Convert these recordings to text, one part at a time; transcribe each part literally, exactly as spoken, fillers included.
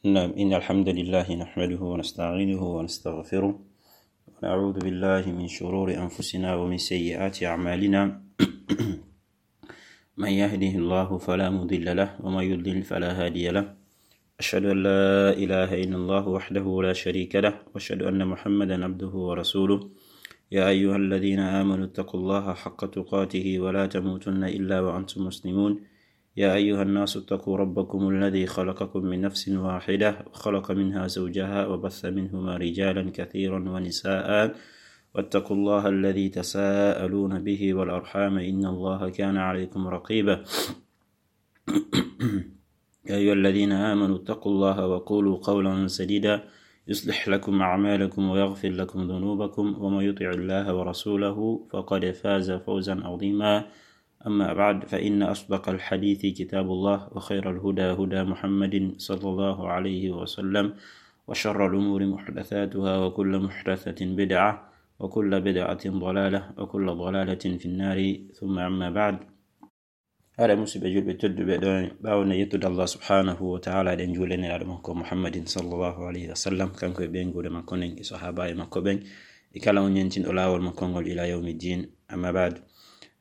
نعم، إن الحمد لله نحمده ونستعينه ونستغفره، ونعوذ بالله من شرور أنفسنا ومن سيئات أعمالنا. من يهده الله فلا مضل له، ومن يضلل فلا هادي له. أشهد أن لا إله إلا الله وحده لا شريك له، وأشهد أن محمدا عبده ورسوله. يا أيها الذين آمنوا اتقوا الله حق تقاته ولا تموتن إلا وأنتم مسلمون. يا أيها الناس اتقوا ربكم الذي خلقكم من نفس واحدة وخلق منها زوجها وبث منهما رجالا كثيرا ونساء، واتقوا الله الذي تساءلون به والأرحام، إن الله كان عليكم رقيبا. يا أيها الذين آمنوا اتقوا الله وقولوا قولا سديدا، يصلح لكم أعمالكم ويغفر لكم ذنوبكم، ومن يطع الله ورسوله فقد فاز فوزا عظيما. أما بعد، فإن أصدق الحديث كتاب الله، وخير الهدى هدى محمد صلى الله عليه وسلم، وشر الأمور محدثاتها، وكل محدثة بدعة، وكل بدعة ضلالة، وكل ضلالة في النار. ثم أما بعد. Haray, musidɓe julɓe tedduɓe, ɗo ɓaawo nde yettude Allah subhanahu wa ta'ala, eɗen juulanira ɗum ko Muhammadin sallallahu alayhi wa sallam, kanko e ɓeynguure makko nden, e sahaabaaɓe makko ɓen, e kala on ñentinɗo laawol makko ngol ila yawmi din. Amma ba'd,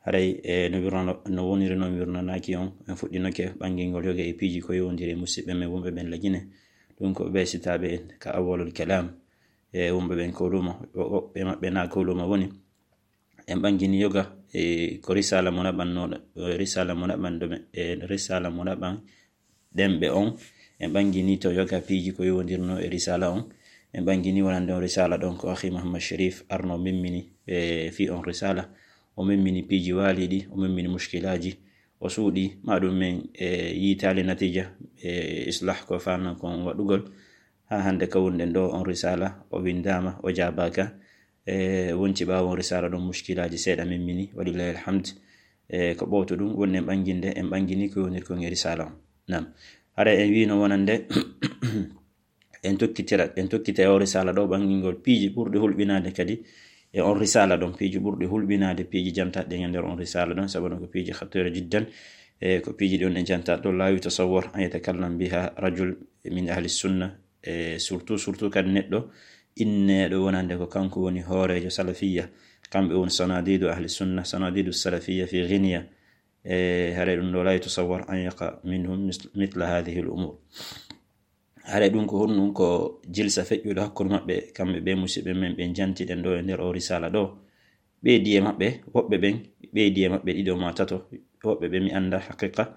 haray, e no wirnano-, no woniri non wirnanaaki on, en fuɗɗinoke ɓangingol yoga e piiji ko yowondiri e musidɓe men wonɓe ɓen Lagine. Ɗum ko ɓe sitaaɓe en ka awwalul kalam, e wonɓe ɓen ko lumo, wo-, woɓɓe maɓɓe na ko lumo woni. En ɓangini yoga, e, ko risala mo naɓannoɗo, e, risala mo naɓanɗo men, e, risala mo naɓan ɗemɓe on. En ɓangini to yoga piiji ko yowondirno e risala on. En ɓangini wonande on risala ɗon ko Akhi Muhammad Sharif arno memmini, e, fi on risala. O memmini piiji waaliɗi, o memmini mushkilaaji. O suuɗi, ma ɗum men, e, yiitaali natija, e, islah ko fanna kon waɗugol. Haa hannde ka wonɗen ɗo, on risala o windaama, o jaabaaka. E, wonti ɓaawo on risala ɗon mushkilaaji seeɗa memmini, walillahi alhamd. E, ko ɓowto ɗum, wonɗen ɓanginde, en ɓangini ko yowondir kon e risala on. Naam. Hara en wiino wonande, en tokkitira, en tokkita e o risala ɗo ɓangingol piiji ɓurɗi hulɓinaade kadi e on risala ɗon, piiji ɓurɗi hulɓinaade, piiji jantaɗe e nder on risala ɗon, sabu no ko piiji khatira jiddan. E, ko piiji ɗon en janta ɗo, la yutasawwar an yatakallam biha rajul min ahli sunna. E, surtout, surtout kadi neɗɗo inneeɗo wonande ko kanko woni hooreejo salafiyya, kamɓe woni sanadidu ahli sunna, sanadidu salafiyya fi ghiniya. E, haray ɗum ɗo, la yutasawwar an yaqa minhum mis-, mithla hadhihi al umur. Haray ɗum ko honɗum? Ko jilsa feƴƴuɗo hakkunde maɓɓe, kamɓe ɓe musidɓe men ɓe jantiɗen ɗo e nder o risala ɗo. Ɓeydi e maɓɓe, woɓɓe ɓen, ɓeydi e maɓɓe ɗiɗo ma tato, woɓɓe ɓe mi annda haqiqa.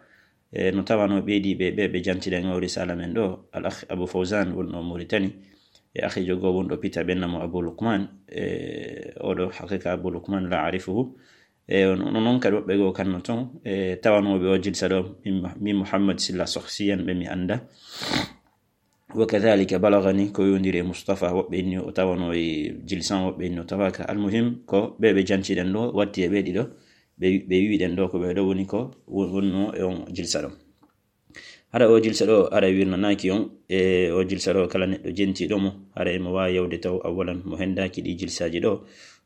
E, no tawano ɓeydi ɓe, ɓe, ɓe jantiɗen o risala men ɗo, al akh Abu Fawzan wonɗo Mauritanie, e akhijo goo wonɗo Pita ɓenna mo Abu Lukman, e, oɗo haqiqa Abu Lukman la arifuhu. E, on, on, non kadi woɓɓe goo kanno ton, e, tawanooɓe o jilsa ɗo, min, min Muhammad Silla Sohsiyan ɓe mi annda. Wa kadhalika balagani ko yowondiri e Mustafa, woɓɓe inni o tawano e jilsan, woɓɓe inni o tawaka. Almuhim, ko ɓe ɓe jantiɗen ɗo, watti e ɓe ɗiɗo, ɓe, ɓe wiɗen ɗo ko ɓe ɗo woni ko won-, wonno e on jilsa ɗo. Hara o jilsa ɗo, hara wirnanaaki on, e o jilsa ɗo kala neɗɗo jentiɗo mo, hara emo waawi yawde taw awalan mo hendaaki ɗi jilsaaji ɗo,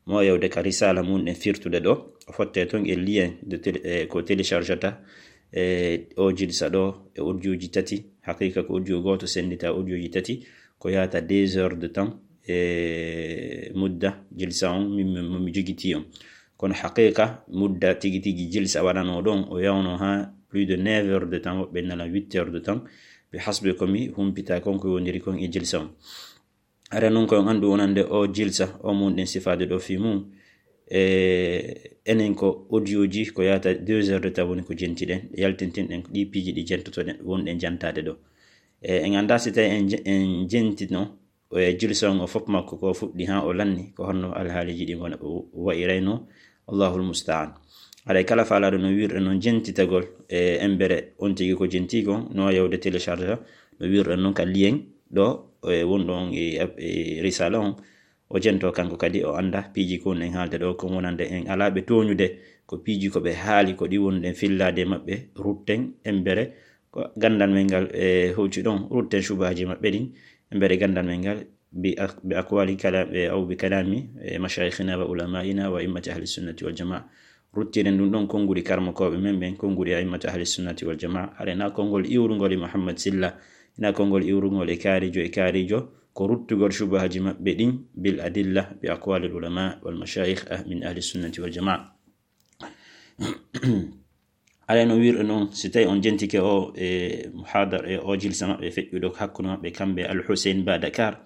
mo waawi yawde ka risala mum ɗen firtude ɗo, o fotte ton e lien de télé-, e ko téléchargata, e o jilsa ɗo e audioji tati, haqiqa ko audio gooto sendita audioji tati, ko yaata deux heures de temps, e mudda jilsa on, min, min, mo mi jogiti on. Kono haqiqa mudda tigi tigi jilsa waɗano ɗon, o yawno ha plus de neuf heures de temps, woɓɓe nana huit heures de temps, bi hasbi ko mi humpita kon ko yowondiri kon e jilsa on. Hara non ko on anndu wonande o jilsa, o mun ɗen sifaade ɗo fi mum, e enen ko audioji ko yaata deux heures de temps woni ko jentiɗen, yaltintinɗen ko ɗi piiji ɗi jentotoɗen, wonɗen jantaade ɗo. E, en annda si tawi en je-, en jentino, o e jilsa on o fof makko ko fuɗɗi ha o lanni, ko honno alhaaliji ɗi wona, wa'irayno, Allahul musta'an. Haray kala faalaɗo no wirɗe non jentitagol, e embere on tigi ko jenti kon, no yawde télécharge, no wirɗe non ka lien ɗo, e wonɗo on e, e risala on, o jento kanko kadi, o annda piiji ko en haalde ɗo, ko wonande en alaa ɓe tooñude, ko piiji ko ɓe haali, ko ɗi wonɗen fillaade e maɓɓe, rutten embere, ko ganndal men ngal, e, hocci ɗon, rutten cubaaji maɓɓe ɗin, embere ganndal men ngal, bi ak-, bi aqwali kalam, e, aw bi kalami, e, mashayikhina wa ulama'ina wa immati ahli sunnati wal jamaa. Ruttiren ɗum ɗon konnguɗi karmokooɓe men ɓen, konnguɗi a'immatu ahli sunnati wal jamaa. Hara na konngol iwrungol e Muhammad Silla, Hina konngol iwrungol e kaarijo e kaarijo, ko ruttugol shubahaji maɓɓe ɗin bil adilla bi aqwalil ulama wal mashayikh ah, min ahli sunnati wal jamaa. Alay no wirɗo non, si tawi on jentike o e muhadar e o jilsa maɓɓe feƴƴuɗo hakkunde maɓɓe kamɓe Al Hussein Ba Dakar,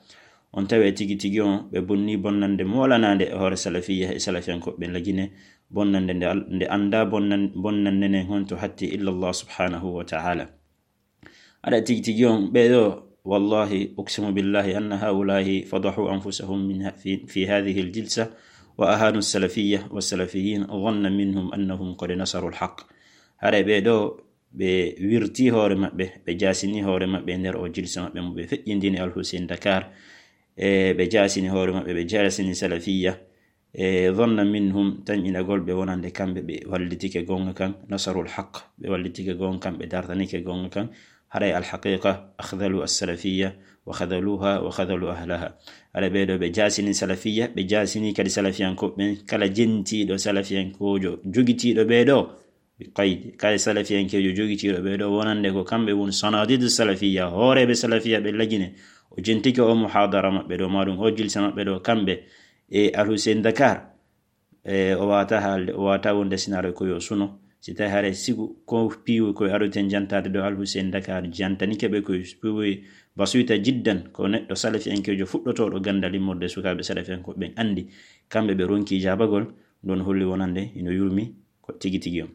on tawe tigi tigi on ɓe bonni bonnande molanande e hoore salafiyya e salafiyankoɓe lagine, bonnande nde al-, nde annda bonnan-, bonnande nden honto hatti illa Allah subhanahu wa ta'ala. Aɗa tigi tigi on ɓeɗo, wallahi uqsimu billahi anna haulahi fadahu anfusahum min ha-, fi, fi hadhihi al-jilsa wa ahanu salafiyya wa salafiyin dhanna minhum annahum qad nasaru al-haq. Haray ɓeɗo ɓe wirti hoore maɓɓe, ɓe jasini hoore maɓɓe e nder o jilsa maɓɓe mo ɓe feƴƴindini Al Hussein Dakar, e ɓe jasini hoore maɓɓe, ɓe jasini salafiyya, e dhanna minhum, tanƴinagol ɓe wonande kamɓe ɓe wallitike gonga kan, nasarul haq, ɓe wallitike gonga kan, ɓe dartanike gonga kan, haray alhaqiqa akhdalu as-salafiyya wa khadaluha wa khadalu ahlaha. Haray ɓeɗo ɓe jasini salafiyya, ɓe jasini kadi salafiyankoɓe ɓen, kala jentiɗo salafiyankojo jogitiɗo ɓeɗo, bi qaydi, kala salafiyankejo jogitiɗo ɓeɗo wonande ko kamɓe woni sanadidu salafiyya, hooreɓe salafiyya ɓe lagine, o jentike o muhadara maɓɓe ɗo, maɗum o jilsa maɓɓe ɗo, kamɓe e Al Hussein Dakar, e, o wata haalde, o wata wonde sinaare ko yo suno. Si tawi haray sigu ko piiwi koye aroten jantade ɗo Al Hussein Dakar, jantanike ɓe koye piiwi basuyta jiddan, ko neɗɗo salafiyankejo fuɗɗotoɗo gandal immorde sukaɓe salafiyankoɓe ɓen andi, kamɓe ɓe ronki jabagol, ɗon holli wonande ino yurmi ko tigi tigi on.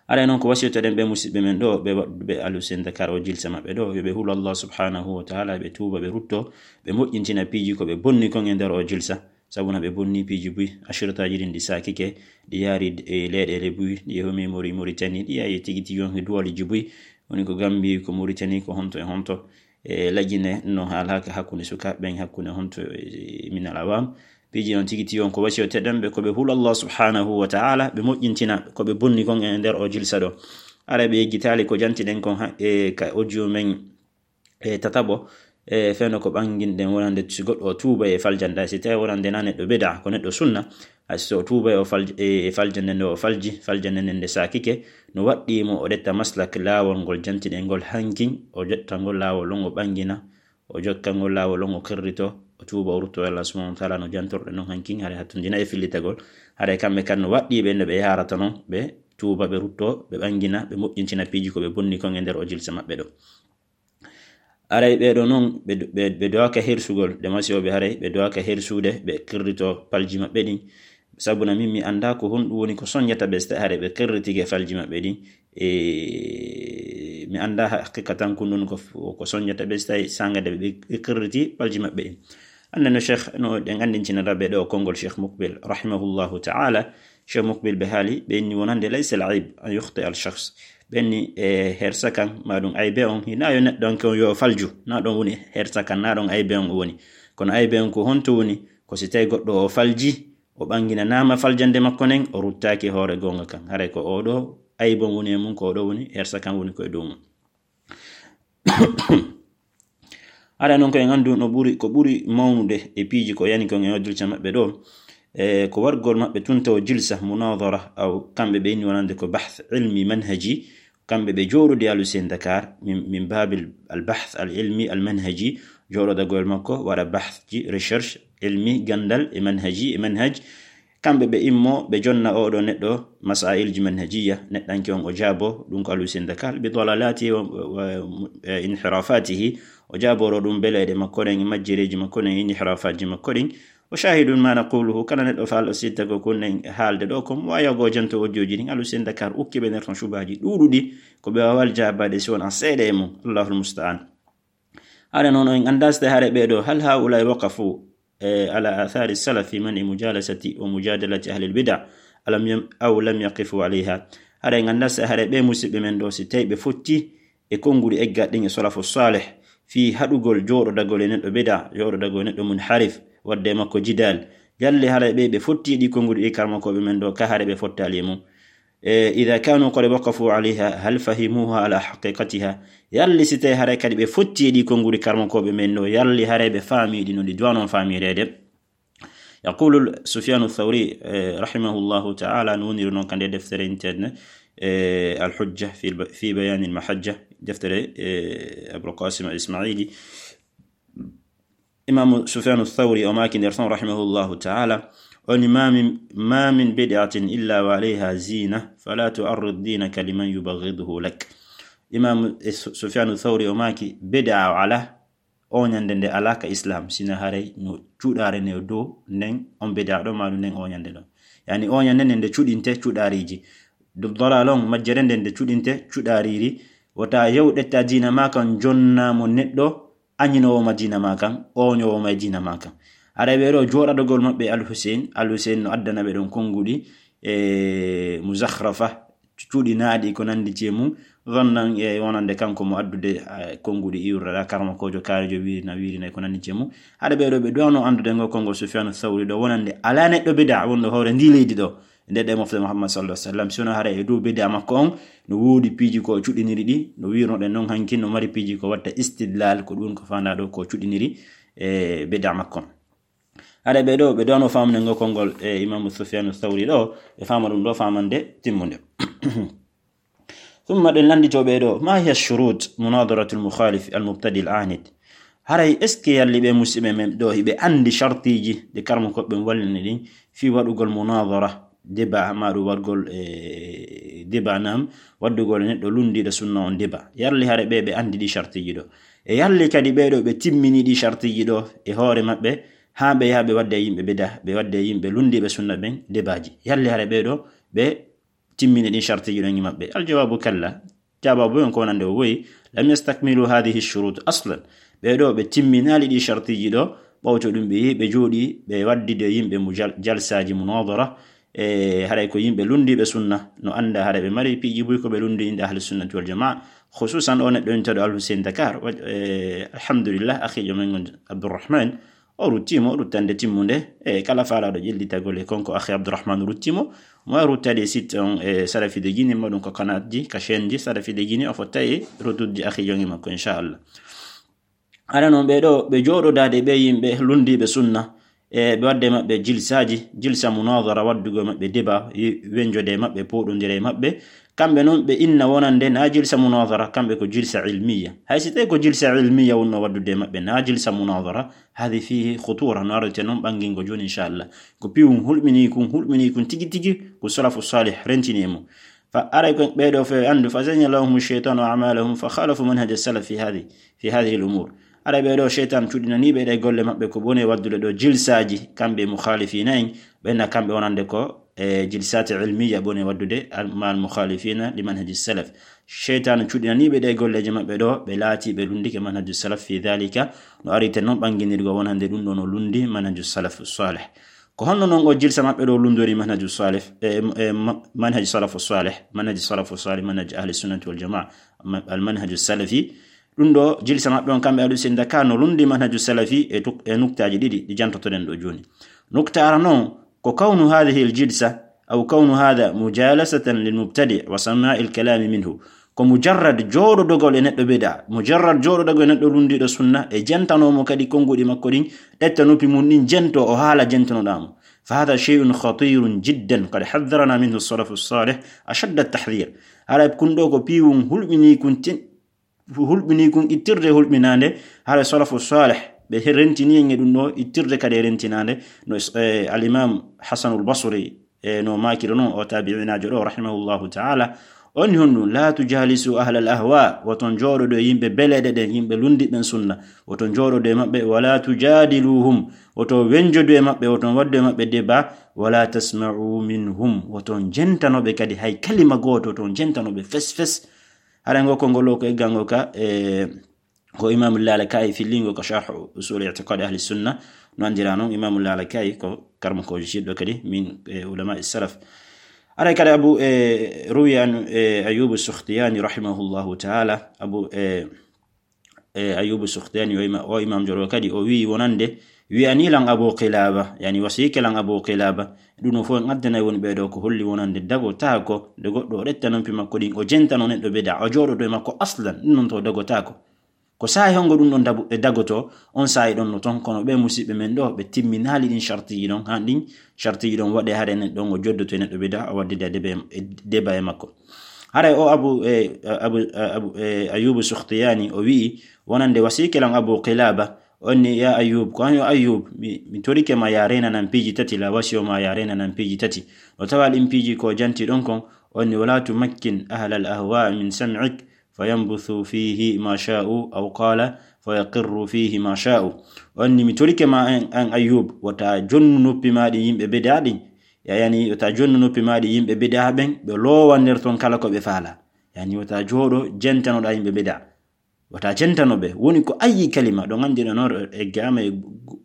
Aray non ko wasiytoɗen ɓe musiɓɓe men ɗo, ɓe waɗuɓe Al Hussein Dakar o jilsa maɓɓe ɗo, yo ɓe hulo Allah subhanahu wa ta'ala, ɓe tuuba, ɓe rutto, ɓe moƴƴintina piiji ko ɓe bonni kon e nder o jilsa. Sabu na ɓe bonni piiji buy, ashirtaji ɗin ɗi sakike, ɗi yaari e leyɗeele buy, ɗi yehomi Mori-, Mauritanie, ɗi yaari tigi tigi on e duwaliji buy, woni ko Gambie, ko Mauritanie, ko honto e honto. E lagine no haalaka hakkunde sukaaɓe ɓen, hakkunde honto e minal awam. Piiji on tigi tigi on ko wasiyoteɗen ɓe ko ɓe hula Allah subhanahu wa ta'ala, ɓe moƴƴintina ko ɓe bonni kon e nder o jilsa ɗo. Aray ɓe yeggitaali ko jantiɗen kon ha, e ka audio men e tataɓo, e fewndo ko ɓanginɗen wonande si goɗɗo o tuuba e faljanda, si tawi wonande na neɗɗo bida, ko neɗɗo sunna, hay so o tuuba e o falj-, e, e faljande nde o falji, faljande nden nde sakike, no waɗɗii mo o ƴetta maslak laawol ngol jantiɗen ngol hankin, o ƴetta ngol laawol on o ɓangina, o jokka ngol laawol on o qirrito, o tuuba o rutto Allah subhanahu wa ta'ala no jantorɗen non hankin, haray hattundina e fillitagol. Haray kamɓe kan no waɗɗii ɓe no ɓe yaarata non, ɓe tuuba, ɓe rutto, ɓe ɓangina, ɓe moƴƴintina piiji ko ɓe bonni kon e nder o jilsa maɓɓe ɗo. Aray ɓeeɗo non, ɓe, ɓe, ɓe dowaaka hersugol, ɗe masiyoɓe haray, ɓe dowaaka hersude, ɓe qirrito palji maɓɓe ɗin. Sabu na min mi annda ko honɗum woni ko soñata ɓe, so tawi haray ɓe qirritike falji maɓɓe ɗin. E, mi annda haqiqa tan ko ɗum ko, ko soñata ɓe, so tawi sanga de ɓe, ɓe qirriti palji maɓɓe ɗin. Annde no Cheikh, no ɗen anndintinira ɓe ɗo konngol Cheikh Mukbil, rahimahullahu ta'ala. Cheikh Mukbil ɓe haali, ɓe inni wonande laysa al ayb an yukhti al shakhs. Ɓe inni, e, hersa kan, ma ɗum aybe on, hina yo neɗɗo on kon yo falju. Na ɗon woni hersa kan, na ɗon aybe on woni. Kono aybe on ko honto woni? Ko si tawi goɗɗo o falji, o ɓanginanaama faljande makko nden, o ruttaaki hoore goonga kan. Haray ko oɗo aybe on woni e mum, ko oɗo woni hersa kan woni ko e dow mum. Aɗa non ko en anndu no ɓuri, ko ɓuri mawnude e piiji ko yani kon e o jilsa maɓɓe ɗo, e ko wargol maɓɓe tunta o jilsa munadara, aw kamɓe ɓe inni wonande ko bahth ilmi manhaji, kamɓe ɓe jooɗodi Alusen Dakar, min, min baabil al bahth al ilmi al manhaji, jooɗodagol makko, waɗa bahthji, recherche, ilmi, gandal, e manhaji, e manhaj, kamɓe ɓe immo, ɓe jonna oɗo neɗɗo masailji manhajiyya, neɗɗanke on o jaabo, ɗum ko Alusen Dakar, bi dalalati wa, wa, wa, e inhirafatihi, o jaaboro ɗum beleɗe makko ɗen, e majjereji makko ɗen, e inhirafatji makko ɗin. O shahidun ma naquluhu, kala neɗɗo faal o sitta ko kun en haalde ɗo, ko mo wayago janto o jooji ɗin, Alusen Dakar ukki ɓe nder ton shubaji ɗuɗuɗi, ko ɓe wawal jaabaade si wona seeɗa e mum. Allahul musta'an. Haɗa noon en anndaa so tawi haɗa ɓee ɗo, hal haa'ulaa'i waqafu, e, ala athari salaf fi man'i mujalasati wa mujadalati ahli al-bida', alam yam-, aw lam yaqifu alayha. Haɗa en anndaa so tawi haɗa ɓee musiɓɓe men ɗo, si tawi ɓe fotti e konnguɗi eggaɗi ɗin e salafu salih, fii haɗugol jooɗodagol e neɗɗo bida', jooɗodagol e neɗɗo munharif, waɗde e makko jidal. Yalli haɗa ɓe, ɓe fotti e ɗi konnguɗi ɗi karmakooɓe men ɗo, ka haɗa ɓe fottaali e mum. E, idha kanu qad waqafu alayha, hal fahimuha ala haqiqatiha? Yalli si tawi haray kadi ɓe fotti e ɗi konnguɗi karmakooɓe men ɗo, yalli haray ɓe faami ɗi no ɗi duwano faamireede? Yaqulu Sufyanu Thawri, e, rahimahullahu ta'ala, no woniri noon ka nde deftere interne, e, Al-Hujja fi, fi Bayanil Mahajja, deftere, e, Abul Qasim Al-Ismaili. Imaamu Sufyanu Thawri o maaki nder ton, rahimahullahu ta'ala, o ni: "Ma min, ma min bid'atin illa wa alayha zina, fala tu'arrid dinaka liman yubaghiduhu lak." Imaamu, e, Su-, Sufyanu Thawri o maaki, bid'a o ala, oñande nde ala ka Islam, sina haray no cuɗaare ne o dow nden on bid'a ɗo, ma ɗum nden oñande ɗo. Yani oñande nden nde cuɗinte cuɗaariji. Dub dalal on majjere nden nde cuɗinte cuɗaariri. Wota yew ɗetta diina ma kan jonna mo neɗɗo añinowo ma diina ma kan, oñowo ma e diina ma kan. Haray ɓe ɗo jooɗadogol maɓɓe Al Hussein, Al Hussein no addana ɓe ɗon konguɗi, e, muzakhrafa, cuɗinaaɗi ko nandi je mum, zannan e wonande kanko mo addude, eh, konguɗi iwrata karmakoojo, kaarejo, wirina, wirina e ko nandi je mum. Haɗa ɓe ɗo ɓe duwano andude ngo konngol Sufyanu Thawri ɗo, wonande ala neɗɗo bid'a wonɗo hoore ndi leydi ɗo, nde ɗe mofte Muhammad sallallahu alaihi wasallam, si wona haray e dow bid'a makko on, no woodi piiji ko o cuɗiniri ɗi, no wirnoɗen non hanki, no mari piiji ko watta istidlal, ko ɗum ko fanda ɗo ko cuɗiniri, e, bid'a makko on. Haɗa ɓe ɗo, ɓe ɗo no famande ngo konngol, e, Imaamu Sufyanu Thawri ɗo, ɓe fama ɗum ɗo famande timmunde. Thumma ɗen landito ɓe ɗo, ma hiya shurut munadaratul mukhalif al mubtadi al anid? Haray est-ce que yalli ɓe musiɓɓe men ɗo hiɓe andi shartiji ɗi karmakooɓe ɓen wallini ɗin fi waɗugol munadara, débat, ma ɗum waɗugol, e, débat nam, waɗugol e neɗɗo lundiɗo sunna on débat? Yalli haray ɓe, ɓe andi ɗi shartiji ɗo? E yalli kadi ɓe ɗo ɓe timmini ɗi shartiji ɗo e hoore maɓɓe, haa ɓe yaha ɓe wadda e yimɓe bida, ɓe wadda e yimɓe lundiɓe sunna ɓen débatji? Yalli haray ɓe ɗo ɓe timmini ɗin shartiji ɗon e maɓɓe? Al jawabu kalla. Jawabu on ko wonande o woyi, lam yastakmilu hadhihi shurut aslan. Ɓe ɗo ɓe timminali ɗi shartiji ɗo, ɓawto ɗum ɓe yehi ɓe jooɗi ɓe waddide yimɓe mu jal-, jalsaji munadara, e haray ko yimɓe lundiɓe sunna, no anda haray ɓe mari piiji buy ko ɓe lundi inde ahli sunnati wal jamaa, khususan o neɗɗo intaɗo Al Hussein Dakar. Wa-, e, alhamdulillah, akhijo men on Abdurrahman, o ruttimo ruttande timmunde, e kala faalaɗo ƴellitagol e konko akhi Abdurrahman ruttimo, mo ruttade site on, e Salafide Guinée, mo ɗum ko kanatji, ka chaîneji Salafide Guinée, o fotta e rutudji akhijo ngi makko, inchallah. Haɗa non ɓe ɗo, ɓe jooɗodaade ɓe yimɓe lundiiɓe sunna, e ɓe waɗde maɓɓe jilsaaji, jilsa munadara, waɗdugo maɓɓe débat, yi-, wenjode maɓɓe, pooɗondire maɓɓe. Kamɓe non ɓe inna wonande na jilsa munadara, kamɓe ko jilsa ilmiya. Hay si tawi ko jilsa ilmiya wonno waɗdude maɓɓe, na jilsa munadara, hadi fihi khutura, no arete non ɓangingo jooni, inchallah. Ko piwum hulɓini kun, hulɓini kun tigi tigi, ko salafu salih rentini e mum. Fa aray ko ɓe ɗo fe andu, fa zayyana lahum shaytanu a'malahum, fa khalafu manhaj salaf fi hadi, fi hadhihi al-umur. Aray ɓe ɗo shaytan cuɗinani ɓe ɗe golle maɓɓe ko bone waddude ɗo jilsaaji, kamɓe mukhalifina en, ɓenna kamɓe wonande ko, e, jilsati ilmiya bone waddude al-, ma al-mukhalifina li manhaj salaf. Shaytan cuɗinani ɓe ɗe golleje maɓɓe ɗo, ɓe laati ɓe lundike manhaj salaf fi dhalika, no arite non ɓanginirgo wonande ɗum ɗo no lundi manhaj salaf salih. Ko honno non o jilsa maɓɓe ɗo lundori manhaju salaf, e, e, ma-, manhaju salafu salih, manhaju salafu salih, manhaju ahli sunnati wal jamaa, ma-, al manhaju salafi? Ɗum ɗo jilsa maɓɓe on kamɓe Ahlu Sunna ka no lundi manhaju salafi e tuk-, e nuktaaji ɗiɗi ɗi jantotoɗen ɗo jooni. Nukta ara non ko kawnu hadhihi al jilsa, aw kawnu hadha mujalasatan lil mubtadi wa sama'il kalami minhu. Ko mujarrad jooɗodogol e neɗɗo bid'a, mujarrad jooɗodogol e neɗɗo lundiiɗo sunna, e jentano mo kadi konnguɗi makko ɗin, ɗetta noppi mum ɗin, jento o haala jentanoɗaa mo. Fa hadha shay'un khatirun jiddan, qad hadharana minhu salafu salih ashadda tahdhir. Haray kun ɗo ko piiwun hulɓinii kun tin-, hulɓinii kun ittirde hulɓinaande, haray salafu salih ɓe he-, rentinii en e ɗum ɗo ittirde kadi e rentinaande, no, eh, al-Imam Hasanul Basri, e no maakiri non o taabi'inaajo ɗo, rahimahullahu ta'ala, on honɗum, "La tujalisu ahlal ahwa," woton jooɗodo e yimɓe beleɗe ɗen, yimɓe lundiɓɓen sunna, woton jooɗodo e maɓɓe, "wala tujadiluhum," woton wenjodu e maɓɓe, woton waddu e maɓɓe débat, "wala tasma'u minhum," woton jentanoɓe kadi hay kalima gooto, woton jentanoɓe fes fes. Haɗa ngo konngol o ko eggango ka, e, ko Imaamu Lalaka'i fillingo ko Sharh Usul I'tiqad Ahli Sunna, no anndira non Imaamu Lalaka'i ko karmakoojo jiɗɗo kadi min, e, ulama salaf. Aray kadi Abu, e, ruwiya an, e, Ayyubu Sukhtiyani rahimahullahu ta'ala, Abu, e, e, Ayyubu Sukhtiyani o ima-, o imaamjo ɗo kadi o wi'i wonande, wi'ani lan Abu Qilaba, yani wasiyike lan Abu Qilaba, ɗum no fof en addanay woni ɓe ɗo ko holli wonande dagotaako, nde goɗɗo o ɗetta noppi makko ɗin, o jentano neɗɗo bida, o jooɗodo e makko aslan, ɗum non to dagotaako. Ko saa'i hongo ɗum ɗon dabu-, e dagoto, on saa'i ɗon no ton, kono ɓe musiɓɓe men ɗo, ɓe timminaali ɗin shartiiji ɗon, haa ɗin shartiiji ɗon waɗe hare nen ɗon o joddoto e neɗɗo bida, o waddida deba e, e deba e makko. Haray o Abu, e, Abu, Abu, e, Ayyubu Sukhtiyani, o wi'i, wonande wasiike lan Abu Qilaba, on ni, ya Ayyub, ko an yo Ayyub, mi, mi torike ma ya reenanan piiji tati, la wasiyo ma ya reenanan piiji tati. O tawa ɗin piiji ko janti ɗon kon, on ni, wala tumakkin ahlal ahwa min sam'ik, fayambuthu fihi ma sha'u, aw qala, fayaqirru fihi ma sha'u. On ni, mi torike ma an, an Ayyub, wota jonnu noppi ma ɗi yimɓe bida ɗin, ya yani, wota jonnu noppi ma ɗi yimɓe bida ɓen, ɓe loowa nder ton kala ko ɓe faala. Yani, wota jooɗo jentanoɗa yimɓe bida. Wata jentano ɓe. Woni ko ayi kalima, ɗon anndi no noon e gama e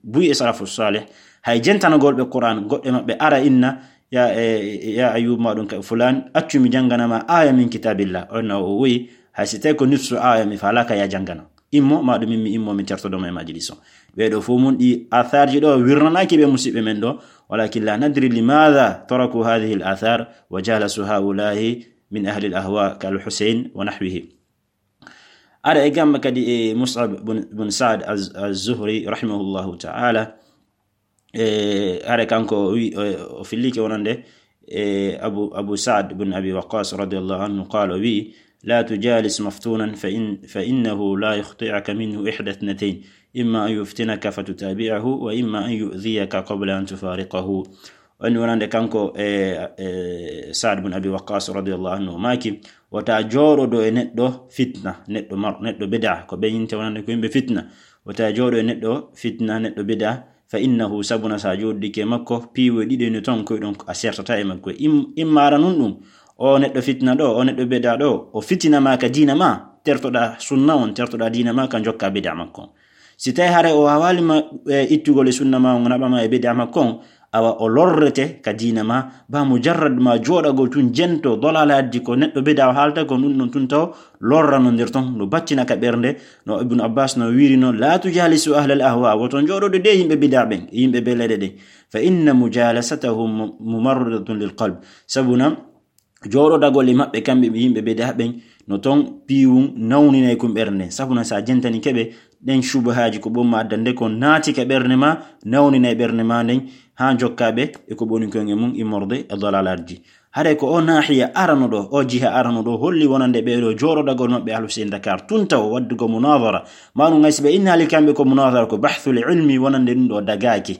buy e salafu salih. Hay jentanagol ɓe Qur'an, goɗɗe maɓɓe ara inna, ya, e, ya Ayyub ma ɗum ka fulan, accu mi jangana ma aya min kitabillah. On na o wi, hay si tawi ko nifsu aya mi falaka ya jangana. Immo, ma ɗum min mi immo mi tertodo ma e majlis o. Ɓe ɗo fof mun ɗi atharji ɗo wirnanaki ɓe musiɓɓe men ɗo, walakin la nadri limadha taraku hadhihi al athar wa jalasu haulahi min ahli al ahwa kal Husayn wa nahwihi. Ara e gamma kadi e Mus'ab bun, bun Sa'd az-, az-Zuhri rahimahullahu ta'ala. E, ara kanko wi, o, o fillike wonande, e, Abu, Abu Sa'd bun Abi Waqqas radiyallahu anhu qala, o wi, la tujalis maftunan fa in, fa innahu la yukhti'uka minhu ihda ithnatayn, imma an yuftinaka fatutabi'ahu wa imma an yu'dhiyaka qabla an tufariqahu. Woni wonande kanko e, e Sa'd bun Abi Waqqas radiyallahu anhu, o maaki, wota jooɗodo e neɗɗo fitna, neɗɗo mar-, neɗɗo bid'a, ko ɓe yinte wonande ko yimɓe fitna. Wota jooɗo e neɗɗo fitna, neɗɗo bid'a, fa innahu, sabuna sa jooɗodike makko, piiwe ɗiɗi no ton koy ɗon a sertata e makko. Im-, imma ara nun ɗum, o neɗɗo fitna ɗo, o neɗɗo bid'a ɗo, o fitina ma ka diina ma, tertoɗa sunna on, tertoɗa diina ma, ka jokka bid'a makko. Si tawi hare o wawali ma, e, ittugol e sunna ma on, naɓa ma e bid'a makko on, awa o lorrete ka diina ma, ba mujarrad ma jooɗagol tun jento dalalaji ko neɗɗo bid'a o haalta ko ɗum ɗon tun taw lorrano nder ton, no battina ka ɓernde, no Ibn Abbas no wiiri no, la tujalisu ahlal ahwa, woto jooɗoɗo de yimɓe bid'a ɓen, yimɓe beleɗe ɗen, fa inna mujalasatahum mu-, mumarridatun lil qalb, sabuna jooɗodagol e maɓɓe, kamɓe ɓe yimɓe bid'a ɓen, no ton piiwun nawninay kun ɓernde nden. Sabuna sa jentani keɓe ɗen shubuhaaji ko ɓon ma addande kon naati ka ɓernde ma, nawninay ɓernde ma nden, haa jokkaɓe e ko ɓoni kon e mun immorde e dalalaji. Haray ko o naahiya arano ɗo, o jiha arano ɗo, holli wonande ɓe ɗo jooɗodagol maɓɓe ahlu sey Dakar, tun taw waddugo munadara. Manu ngay si ɓe innaali kamɓe ko munadara, ko bahthul ilmi, wonande ɗum ɗo dagaaki.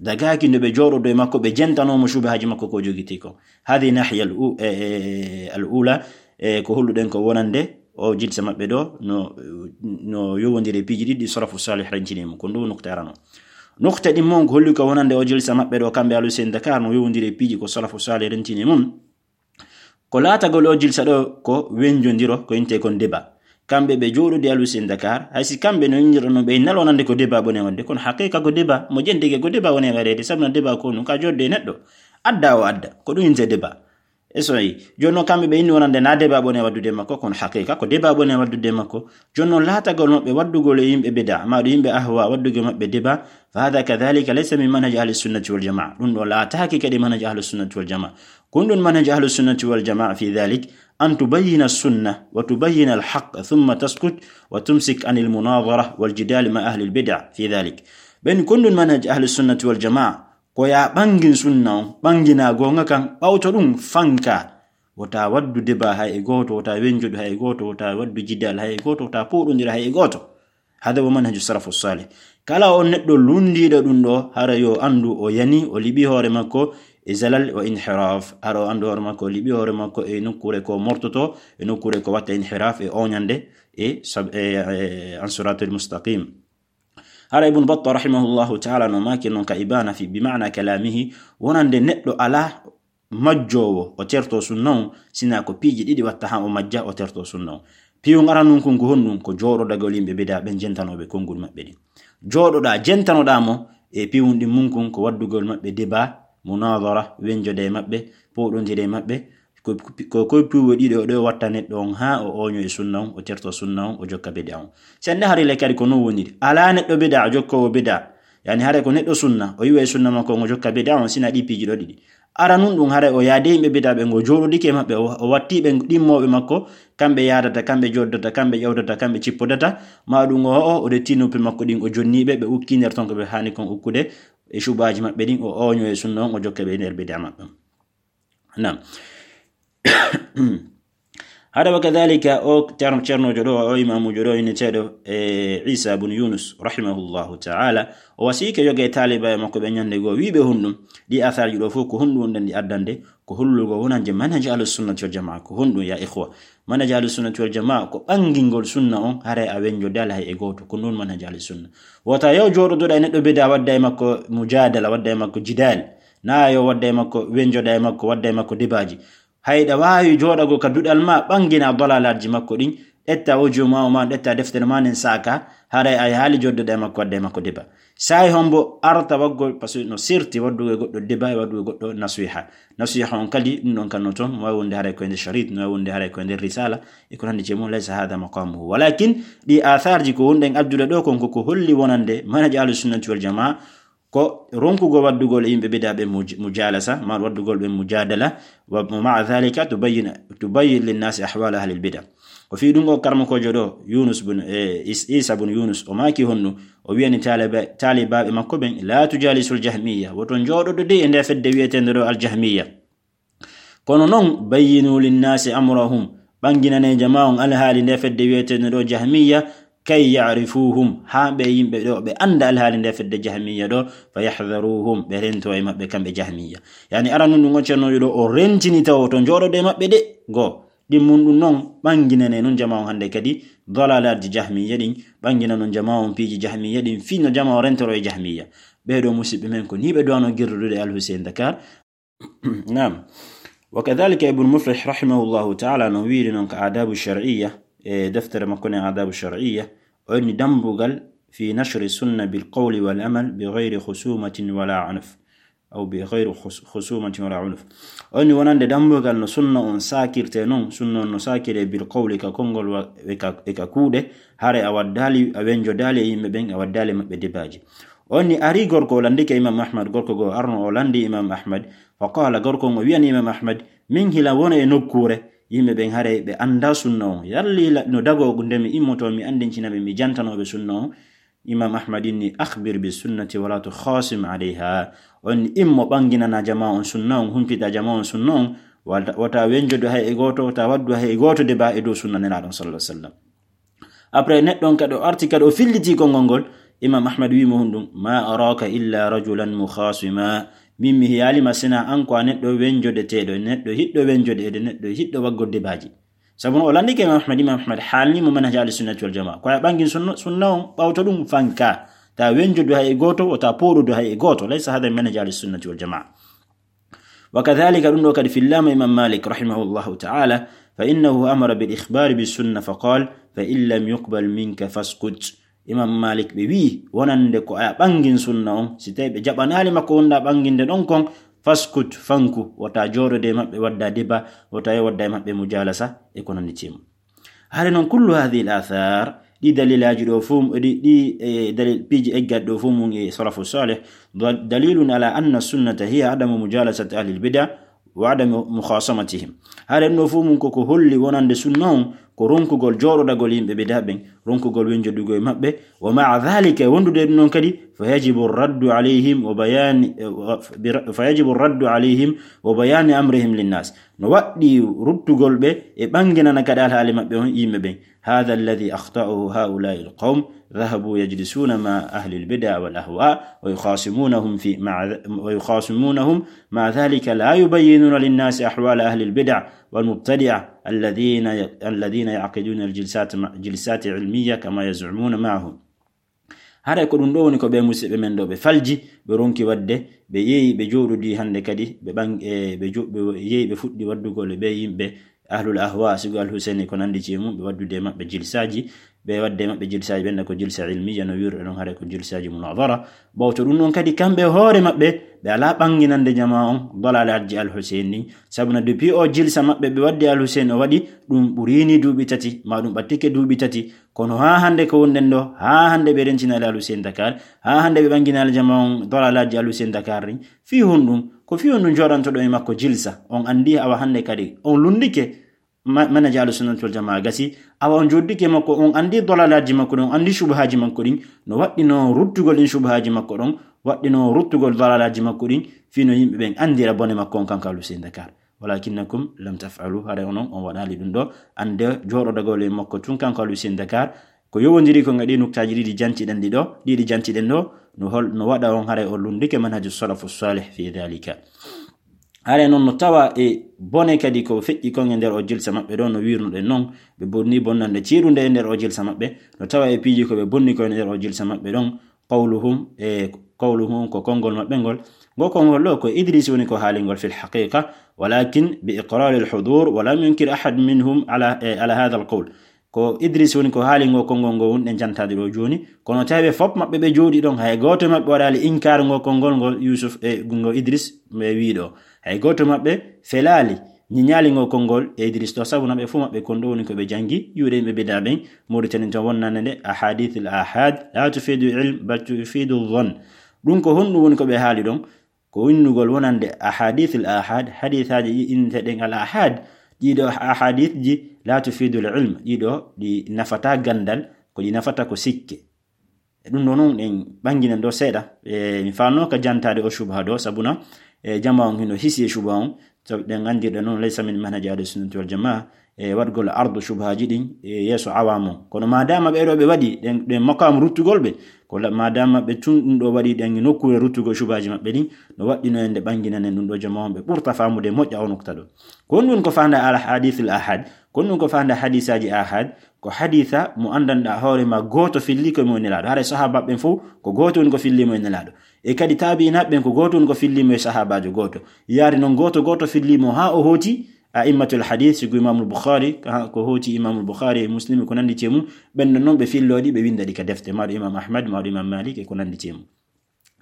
Dagaaki nde ɓe jooɗodo e makko, ɓe jentanomo shubuhaaji makko ko jogiti ko. Hadi nahiya al u-, e, e, al ula, e, ko holluɗen ko wonande o jilsa maɓɓe ɗo, no, no yowondiri e piiji ɗiɗi salafu salih rentini mum. Ko ndu nukta arano. Nukta ɗin mon ko holli ko wonande o jilsa maɓɓe ɗo, kamɓe ahlu sey Dakar, no yowondiri e piiji ko salafu salih rentini mum. Ko laatagol o jilsa ɗo ko wenjondiro, ko inte kon débat. Kamɓe ɓe jooɗodi ahlu sey Dakar, hay si kamɓe no injirano ɓe nalo nande ko débat ɓone wadde, kono haqiqa ko débat, mo jentike ko débat wone waɗede, sabu no débat ko nun ka jodde e neɗɗo. Adda o adda, ko ɗum inte débat. E so yi, jooni noon kamɓe ɓe inni wonande na débat ɓone waddude makko, kono haqiqa ko débat ɓone waddude makko. Jooni noon laatagol maɓɓe waddugol e yimɓe bida, ma ɗo yimɓe ahwa waddugol maɓɓe débat, fa hada kadhalika laysa min manhaj ahli sunnati wal jamaa. Ɗum ɗo laataaki kadi manhaj ahli sunnati wal jamaa. Kun ɗum manhaj ahli sunnati wal jamaa fi dhalik, an tubayyina sunna wa tubayyina al haqq thumma taskut wa tumsik anil munadara wal jidal ma ahli al bid'a fi dhalik. Ɓen kun ɗum manhaj ahli sunnati wal jamaa, ko ya ɓangin sunna on, ɓangina goonga kan, ɓawto ɗum fanka. Wota waddu débat hay e gooto, wota wenjodu hay e gooto, wota waddu jidal hay e gooto, wota poɗondira hay e gooto. Hada wa manhaju salafu salih. Kala on neɗɗo lundiiɗo ɗum ɗo, hara yo andu o yani, o liɓi hoore makko e zalal wa inhiraf. Hara o andu hoore makko, o liɓi hoore makko e nokkure ko mortoto, e nokkure ko watta inhiraf e oñande e sab-, e, e, an siratul mustaqim. Hara Ibn Battah rahimahullahu ta'ala no maaki non ka Ibana fi, bi ma'na kalamihi, wonande neɗɗo ala majjoowo o terto sunna on, sina ko piiji ɗiɗi watta ha o majja o terto sunna on. Piiwun aranun kun ko honɗun? Ko jooɗodagol yimɓe bida ɓen jentanoɓe konngol maɓɓe ɗin. Jooɗoɗa, jentanoɗa mo e piiwun ɗin mun kun ko waddugol maɓɓe débat, munadara, wenjode e maɓɓe, poɗondire e maɓɓe, ko, ko, ko piiwe ɗiɗo ɗo watta neɗɗo on ha o oño e sunna on, o terto sunna on, o jokka bida on. Sende hari le kadi ko non woniri. Ala neɗɗo bida, jokkowo bida. Yani hare ko neɗɗo sunna, o yiwa e sunna makko on, o jokka bida on, sina ɗi piiji ɗo ɗiɗi. Ara nun ɗum hare o yaade yimɓe bida ɓe, ngo jooɗodike e maɓɓe, o, o watti ɓe ɗimmoɓe makko, kamɓe yaadata, kamɓe joddata, kamɓe ƴawtata, kamɓe cippodata, ma ɗum o, o, o ɗetti noppi makko ɗin, o jonni ɓe, ɓe ukki nder ton ko ɓe hani kon ukkude, e shubaji maɓɓe ɗin, o oño e sunna on, o jokka ɓe nder bida maɓɓe. Naam. Hara wa kadhalika o cer-, cernojo ɗo, o imamujo ɗo inneteɗo, e, Isa bun Yunus, rahimahullahu ta'ala, o wasike yoga e taliba e makko ɓe ñande goo, wiɓe honɗum, ɗi atharji ɗo fof ko honɗum wonɗen ɗi addande, ko hollugo wonande manhaj ahlus sunnati wal jamaa, ko honɗum ya ikhwa? Manhaj ahlus sunnati wal jamaa ko ɓangingol sunna on, haray a wenjo dala hay e gooto, ko non manhaj ahlus sunna. Wota yo jooɗoɗa e neɗɗo bida wadda e makko mujadala, wadda e makko jidal, na yo wadda e makko, wenjoɗa e makko, wadda e makko debaji. Hayɗa waawi jooɗagol ka duɗal ma, ɓangina dalalaji makko ɗin, ƴetta audio ma o ma, ƴetta deftere ma nden saaka, haray a yahaali jooɗoɗa e makko, wadda e makko deba. Saay hombo arta waggol, parce que no sirti waddugo e goɗɗo deba e waddugo e goɗɗo nasiha. Nasiha on kadi, ɗum ɗon kan no toon, no waawi wonde haray ko e nder sharit, no waawi wonde haray ko e nder risala, e ko nandi e mum, laysa hada maqamuhu. Walakin, ɗi atharji ko wonɗen addude ɗo kon, ko ko holli wonande manhaj ahlus sunnati wal jamaa, ko ronkugol waddugol e yimɓe bida ɓe muj-, mujalasa, ma waddugol ɓe mujadala, wa, wa ma'a dhalika tubayyin, tubayyin linnasi ahwala ahlil bida. Ko fii ɗum o karmakojo ɗo, Yunus bun, e, Is-, Isa bun Yunus, o maaki honno, o wiyani taliba-, talibaaɓe makko ɓen, "La tujalisul jahmiya, woto jooɗoɗo de e nde fedde wiyeteende ɗo al jahmiya. Kono non, bayyinu linnasi amrahum, ɓanginane jama on alhaali nde fedde wiyeteende ɗo jahmiya, kay ya'rifuhum, haa ɓe yimɓe ɗo ɓe annda alhaali nde fedde jahmiya ɗo, fa yahdharuhum, ɓe rento e maɓɓe kamɓe jahmiya." Yani aranun ɗum on cernojo ɗo, o rentini taw woto jooɗoɗo e maɓɓe de, go. Ɗimmun ɗum non, ɓanginane non jama on hannde kadi, dalalaji jahmiya ɗin, ɓangina non jama on piiji jahmiya ɗin, fii no jama on rentoro e jahmiya. Ɓee ɗo musiɓɓe men ko ni ɓe duwano girdude Al Hussein Dakar. Naam. Wa kadhalika Ibn Muflih rahimahullahu ta'ala no wiiri non ka Adabu Shar'iyya, e deftere makko ne Adabu Shar'iyya, o inni dambugal fi nashri sunna bil qawli wal amal bi ghayri khusumatin wala anf. Aw bi ghayri khus-, khusumatin wala unuf. O inni wonande dambugal no sunna on sakirte non, sunna on no sakire bil qawli ka konngol wa, e ka, e ka kuuɗe, hare a waddaali, a wenjodaali e yimɓe ɓen, a waddaali maɓɓe debaaji. O inni ari gorko o landike Imam Ahmad, gorko go arno o landi Imam Ahmad, fa qala, gorko on o wiyani Imam Ahmad, min hila wona e nokkuure, yimɓe ɓen hare ɓe annda sunna on. Yalli hila no dago nde mi immoto mi andincina ɓe, mi jantano ɓe sunna on. Imam Ahmad inni, "Akhbir bi sunnati wala tukhasim alayha." On immo ɓanginana jama on sunna on, humpita jama on sunna on, wata, wata wenjodu hay e gooto, wata waddu hay e gooto deba e dow sunna Nelaaɗo on sallallahu alaihi wasallam. Après, neɗɗo on kadi o arti kadi o filliti konngol ngol, Imam Ahmad wi mo honɗum, "Ma araka illa rajulan mukhasima." Min mi hiyaali ma sina an ko a neɗɗo wenjodeteeɗo, neɗɗo hiɗɗo wenjodeede, neɗɗo hiɗɗo waggo debaaji. Sabu no o landike Imam Ahmad, Imam Ahmad haalni mo manhaj ahli sunnati wal jamaa. Ko a ɓangin sunna, sunna on, ɓawto ɗum fanka. Ta wenjodu hay e gooto, wata pooɗodu hay e gooto. Laysa hada manhaj ahli sunnati wal jamaa. Wa kadhalika ɗum ɗo kadi fillama Imam Malik rahimahullahu ta'ala, fa innahu amara bil ikhbari bis sunna fa qal, "Fa in lam yuqbal minka faskut." Imam Malik ɓe wi, wonande ko a ɓangin sunna on, si tawi ɓe jaɓanaali makko wonɗa ɓanginde ɗon kon, faskut, fanku, wata jooɗode e maɓɓe wadda deba, wata yo wadda e maɓɓe mujalasa, e ko nandi e mum. Hare non kullu hadhihi al athar, ɗi dalilaji ɗo fof, ɗi, ɗi, e, dalil, piiji eggat ɗo fof mum e salafu salih, dal-, dalilun ala anna sunnata hiya adamu mujalasati ahli al bid'a wa adamu mukhasamatihim. Hare ɗum ɗo fof mum koko holli wonande sunna on ko ronkugol jooɗodagol yimɓe bida ɓen, ronkugol wenjodugol e maɓɓe, wa ma'a dhalika, wondude ɗum ɗon kadi, fa yajibu raddu alayhim wa bayani, wa, bi ra-, fa yajibu raddu alayhim wa bayani amrihim linnas. No waɗɗi ruttugol ɓe e ɓanginana kadi alhaali maɓɓe on yimɓe ɓen. Hadha alladhi akhta'ahu ha'ula'i alqawm, dhahabu yajlisuna ma'a ahli albid'a wal ahwa, wa yukhasimunahum fi, ma'a, wa yukhasimunahum ma'a dhalika la yubayyinuna linnasi ahwala ahli albid'a wal mubtadi'a alladhina ya-, alladhina ya'qiduna aljilsat ma-, jilsat ilmiyya kama yaz'umuna ma'ahum. Haray ko ɗum ɗo woni ko ɓe musiɓɓe men ɗo ɓe falji, ɓe ronki waɗde, ɓe yeeyi, ɓe jooɗodi hannde kadi, ɓe ɓang-, e, ɓe jo-, ɓe yeeyi, ɓe fuɗɗi waɗdugol e ɓe yimɓe ahlul ahwa, sigo Al Hussein ko nandi e mum, ɓe waɗdude e maɓɓe jilsaaji, ɓe waɗde e maɓɓe jilsaaji, ɓen ko jilsa ilmiya no wiruɗen ɗon, haray ko jilsaaji munadara. Ɓawto ɗum ɗon kadi, kamɓe hoore maɓɓe, ɓe alaa ɓanginande jama on dalalaji Al Hussein ɗin, sabu na depuis o jilsa maɓɓe ɓe waɗdi Al Hussein o waɗi, ɗum ɓurini duuɓi tati, ma ɗum ɓattike duuɓi tati, kono haa hannde ko wonɗen ɗo, haa hannde ɓe rentinaali Al Hussein Dakar, haa hannde ɓe ɓanginaali jama on dalalaji Al Hussein Dakar ɗin. Fii honɗum? Ko fii honɗum jooɗantoɗon e makko jilsa? On anndi awa hannde kadi on lunndike ma-, manhaj Ahlu Sunnati wal Jamaa gasi. Awa on jooɗdike makko, on anndi dalalaji makko ɗin, on anndi shubuhaaji makko ɗin. No waɗɗino ruttugol ɗin shubuhaaji makko ɗon, waɗɗino ruttugol dalalaji makko ɗin, fii no yimɓe ɓen anndira bone makko on kanko Al Hussein Dakar. ولكنكم لم تفعلوا. Haray onon on waɗaali ɗum ɗo. Annde jooɗodagol e makko tun kanko Alusin Dakar, ko yowondiri ko nga ɗi nuktaaji ɗiɗi jantiɗen ɗi ɗo, ɗiɗi jantiɗen ɗo, no hol-, no waɗa on haray o lundike manhaju salafu salih fi dhalika. Haray non no tawa e bone kadi ko feƴƴi kon e nder o jilsa maɓɓe ɗo, no wirnuɗen non, ɓe bonni bonnande ceeɗunde e nder o jilsa maɓɓe, no tawa e piiji ko ɓe bonni ko e nder o jilsa maɓɓe ɗon, qawluhum, e qawluhum ko konngol maɓɓe ngol. Ngo konngol ɗo ko Idris woni ko haalingol fil haqiqa, walakin bi iqrari al hudur, wa lam yunkir ahad minhum ala, e, ala hadha al qawl. Ko Idris woni ko haali ngo konngol ngo wonɗen jantaade ɗo jooni, kono tawi ɓe fof maɓɓe ɓe jooɗi ɗon, hay gooto maɓɓe waɗaali inkaar ngo konngol ngol Yusuf e ngo Idris ɓe wii ɗo. Hay gooto maɓɓe felaali, ñiñaali ngo konngol e Idris ɗo, sabu na ɓe fof maɓɓe kon ɗo woni ko ɓe janngi, yuuɗe yimɓe bida ɓen, Mauritanie to wonnande nde, ahadith al ahad, la tufidu ilm, bal tufidu dhann. Ɗum ko honɗum woni ko ɓe haali ɗon? Ko winnugol wonande ahadith al ahad, hadisaaji ɗi innteɗen al ahad, ɗiɗo ahadith ji la tufidu al ilm, ɗiɗo ɗi nafata gandal, ko ɗi nafata ko sikke. E ɗum ɗo non ɗen ɓannginen ɗo seeɗa. E, mi faanno ka jantaade o shubha ɗo, sabuna, e, jama on hino hisi e shubha on, sabu ɗen anndirɗe non laysa min manhaji ahli sunnati wal jamaa, e, waɗgol ardu shubhaji ɗin, e, yeeso awamu on. Kono madama ɓe ɗo ɓe waɗi ɗen, ɗen makamu ruttugol ɓe, ko la-, madama ɓe tun ɗum ɗo waɗi ɗen nokkuure ruttugol shubhaji maɓɓe ɗin, no waɗɗino en nde ɓannginanen ɗum ɗo jama on ɓe ɓurta faamude moƴƴa o nukta ɗo. Ko honɗum ko faanda al hadith al ahad, ko honɗum ko faanda hadisaaji ahad, ko hadisa mo anndanɗa hoore ma gooto filli ko mo e Nelaaɗo. Haray sahaba ɓen fof ko gooto woni ko filli mo e Nelaaɗo. E kadi taabi'inaaɓe ɓen ko gooto woni ko filli mo e sahabaajo gooto. Yaari non gooto gooto filli mo haa o hooti a'immatul hadith, sigo Imamul Bukhari, ha, ko hooti Imamul Bukhari e Muslim e ko nanndi e mum, ɓen ɗon non ɓe fillo ɗi, ɓe winnda ɗi ka defte, maɗo Imam Ahmad, maɗo Imam Malik e ko nanndi e mum.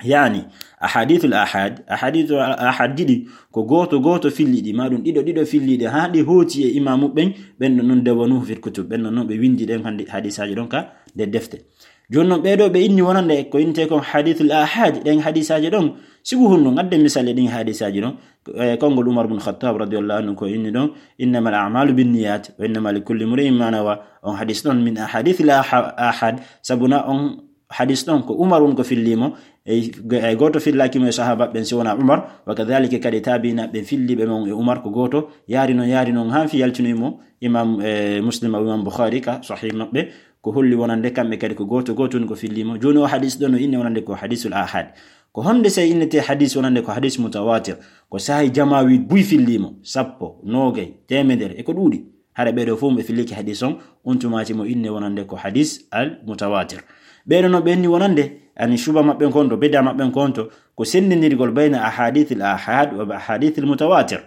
Yani, ahadithul ahad, ahadithul ahad ɗiɗi, ko gooto gooto filli ɗi, maɗum ɗiɗo ɗiɗo filli ɗi, haa ɗi hooti e imaamu ɓen, ɓen ɗon non dawanuhu fil kutub, ɓen ɗon non ɓe winndi ɗen hannde hadisaaji ɗon ka nder defte. Jooni non ɓee ɗoo ɓe inni wonande ko innte kon hadithul ahad, ɗen hadisaaji ɗon, sibu hunno, ngadde misal e ɗin hadisaaji ɗon, e konngol Umar bun Khattab radiyallahu anhu ko inni ɗon, "Innamal a'malu binniyat, wa innama likulli imri'in ma nawa." On hadis ɗon min ahadithil aha-, ahad, sabuna on hadis ɗon ko Umar woni ko filli mo, e, e gooto fillaaki mo e sahaba ɓen si wona Umar, wa kadhalika kadi tabi'ina ɓen filli ɓe mon e Umar ko gooto, yaari non, yaari non, haa fi yaltinoy mo Imam, e, Muslim e Imam Bukhari ka Sahih maɓɓe, ko holli wonande kamɓe kadi ko gooto, gooto woni ko filli mo. Jooni o hadis ɗon no inni wonande ko hadisul ahad. Ko honde sey innete hadis wonande ko hadis mutawatir? Ko saahi jama wi buy filli mo, sappo, noogay, teemedere, e ko ɗuuɗi. Hara ɓee ɗoo fof ɓe fillike hadis on, on tumaati mo inne wonande ko hadis al mutawatir. Ɓee ɗoo no ɓe inni wonande, ani shuba maɓɓe kon to, bida maɓɓe kon to, ko sendindirgol bayna ahadith al ahad wa ahadith al mutawatir.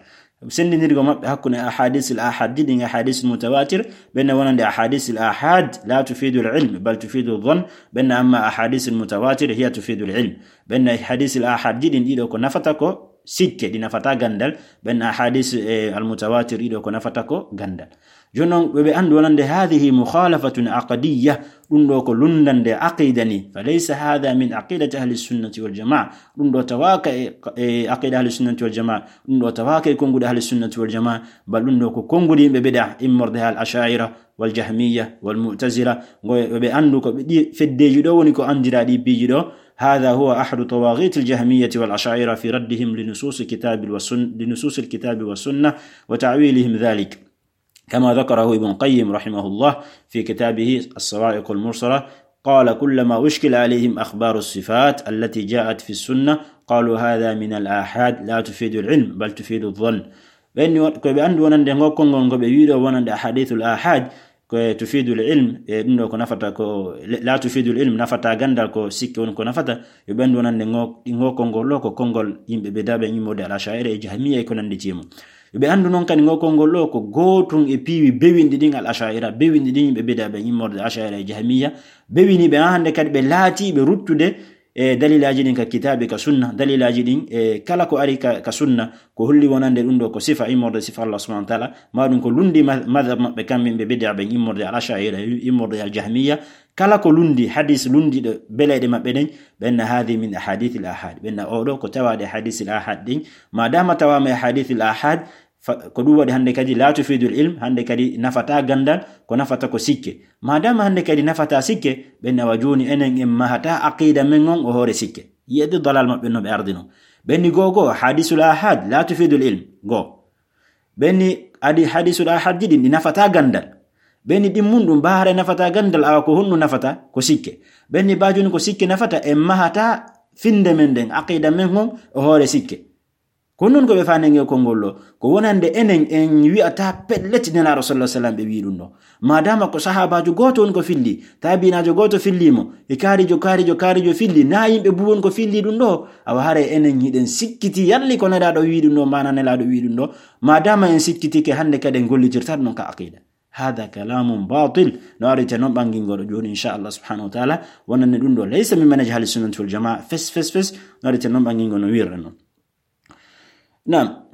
Sendindirgol maɓɓe hakkunde ahadith al ahad ɗin, ahadith al mutawatir, ɓen wonande ahadith al ahad la tufidu al ilm, bal tufidu dhann, ɓen amma ahadith al mutawatir hiya tufidu al ilm. Ɓen hadith al ahad ɗin ɗiɗo ko nafata ko sikke, ɗi nafata gandal, ɓen ahadith, e, al mutawatir ɗiɗo ko nafata ko gandal. Jooni non, ɓe, ɓe anndu wonande, "Hadhihi mukhalafatun aqdiyya." Ɗum ɗo ko lundande aqida ni. "Fa laysa hadha min aqidati ahli sunnati wal jamaa." Ɗum ɗo tawaaka e, e aqida ahli sunnati wal jamaa. Ɗum ɗo tawaaka e konnguɗi ahli sunnati wal jamaa. Bal ɗum ɗo ko konnguɗi yimɓe bid'a, immorde e al asha'ira wal jahmiya wal mu'tazila. Ngo ɓe, ɓe anndu ko ɓe ɗi feddeji ɗo woni ko anndira ɗi piiji ɗo. "Hadha huwa ahadu tawaghit al jahmiyati wal asha'ira fi raddihim li nusus al kitabi wa sun-, li nusus al kitabi wa sunna wa ta'wilihim dhalik." كما ذكره ابن القيم رحمه الله في كتابه الصواعق المرسلة، قال: "كلما أشكل عليهم أخبار الصفات التي جاءت في السنة، قالوا: هذا من الآحاد لا تفيد العلم، بل تفيد الظن." Ɓen ni won-, ko ɓe anndu wonande ngo konngol ngo ɓe wi'i ɗo wonande ahadithul ahad, ko tufidul ilm, e ɗum ɗo ko nafata ko, la tufidul ilm, nafata gandal, ko sikke woni ko nafata. Yo ɓe anndu wonande ngo, ngo konngol ɗo ko konngol yimɓe bid'a ɓen, immorde al asha'ira e jahmiya e ko nanndi e mum. Yo ɓe anndu noon kadi ngo konngol ɗo ko gootun e piiwi bewinɗi ɗin al asha'ira, bewinɗi ɗin yimɓe bid'a ɓen, immorde al asha'ira e jahmiya, bewini ɓe haa hannde kadi ɓe laati ɓe ruttude e dalilaaji ɗin ka kitaabi ka sunna, dalilaaji ɗin e kala ko ari ka, ka sunna, ko holli wonande ɗum ɗo ko sifa immorde sifa Allah subhanahu wa ta'ala, ma ɗum ko lundi ma-, madhab maɓɓe kamɓe ɓe bid'a ɓen, immorde al asha'ira, immorde al jahmiya, kala ko lundi, hadis lundiɗo beleeɗe maɓɓe ɗen, ɓen na haadi min ahadithil ahad, ɓen na oɗo ko tawaɗe hadisil ahad ɗin, ma dama tawama e hadisil ahad, fa-, ko ɗum waɗi hannde kadi la tufidul ilm, hannde kadi nafata gandal, ko nafata ko sikke. Ma dama hannde kadi nafata sikke, ɓen na wa jooni enen en mahata aqida men on o hoore sikke. Yi'ede dalal maɓɓe no ɓe ardino. Ɓen ni goo goo, hadisul ahad, la tufidul ilm, goo. Ɓenni adi hadisul ahadji ɗin ɗi nafata gandal. Ɓenni ɗin mun ɗum ba haray nafata gandal, awa ko honɗum nafata? Ko sikke. Ɓenni ba joni ko sikke nafata, en mahata finde men nden, aqida men ngon o hoore sikke. Ko non ko ɓe fani ngel konngol ɗo, ko wonande enen en wi'ata pellet Nelaaɗo sallallahu alaihi wasallam ɓe wi'i ɗum ɗo. Madama ko sahaabaajo gooto woni ko filli, taabiinaajo gooto filli mo, e kaarijo, kaarijo, kaarijo filli, na yimɓe buwon ko filli ɗum ɗo, awa haray enen hiɗen sikkiti yalli ko Nelaaɗo wi'i ɗum ɗo, mana Nelaaɗo wi'i ɗum ɗo. Madama en sikkitike, hande kadi en gollitirta ɗum ka aqida. Hada kalamun batil. No arite non ɓangingo ɗo joni, insha Allah subhanahu wa ta'ala, wonande ɗum ɗo laysa min manhaj ahli sunnati wal jamaa, fes, fes, fes, no arite non ɓangingo no wirre non. Naam.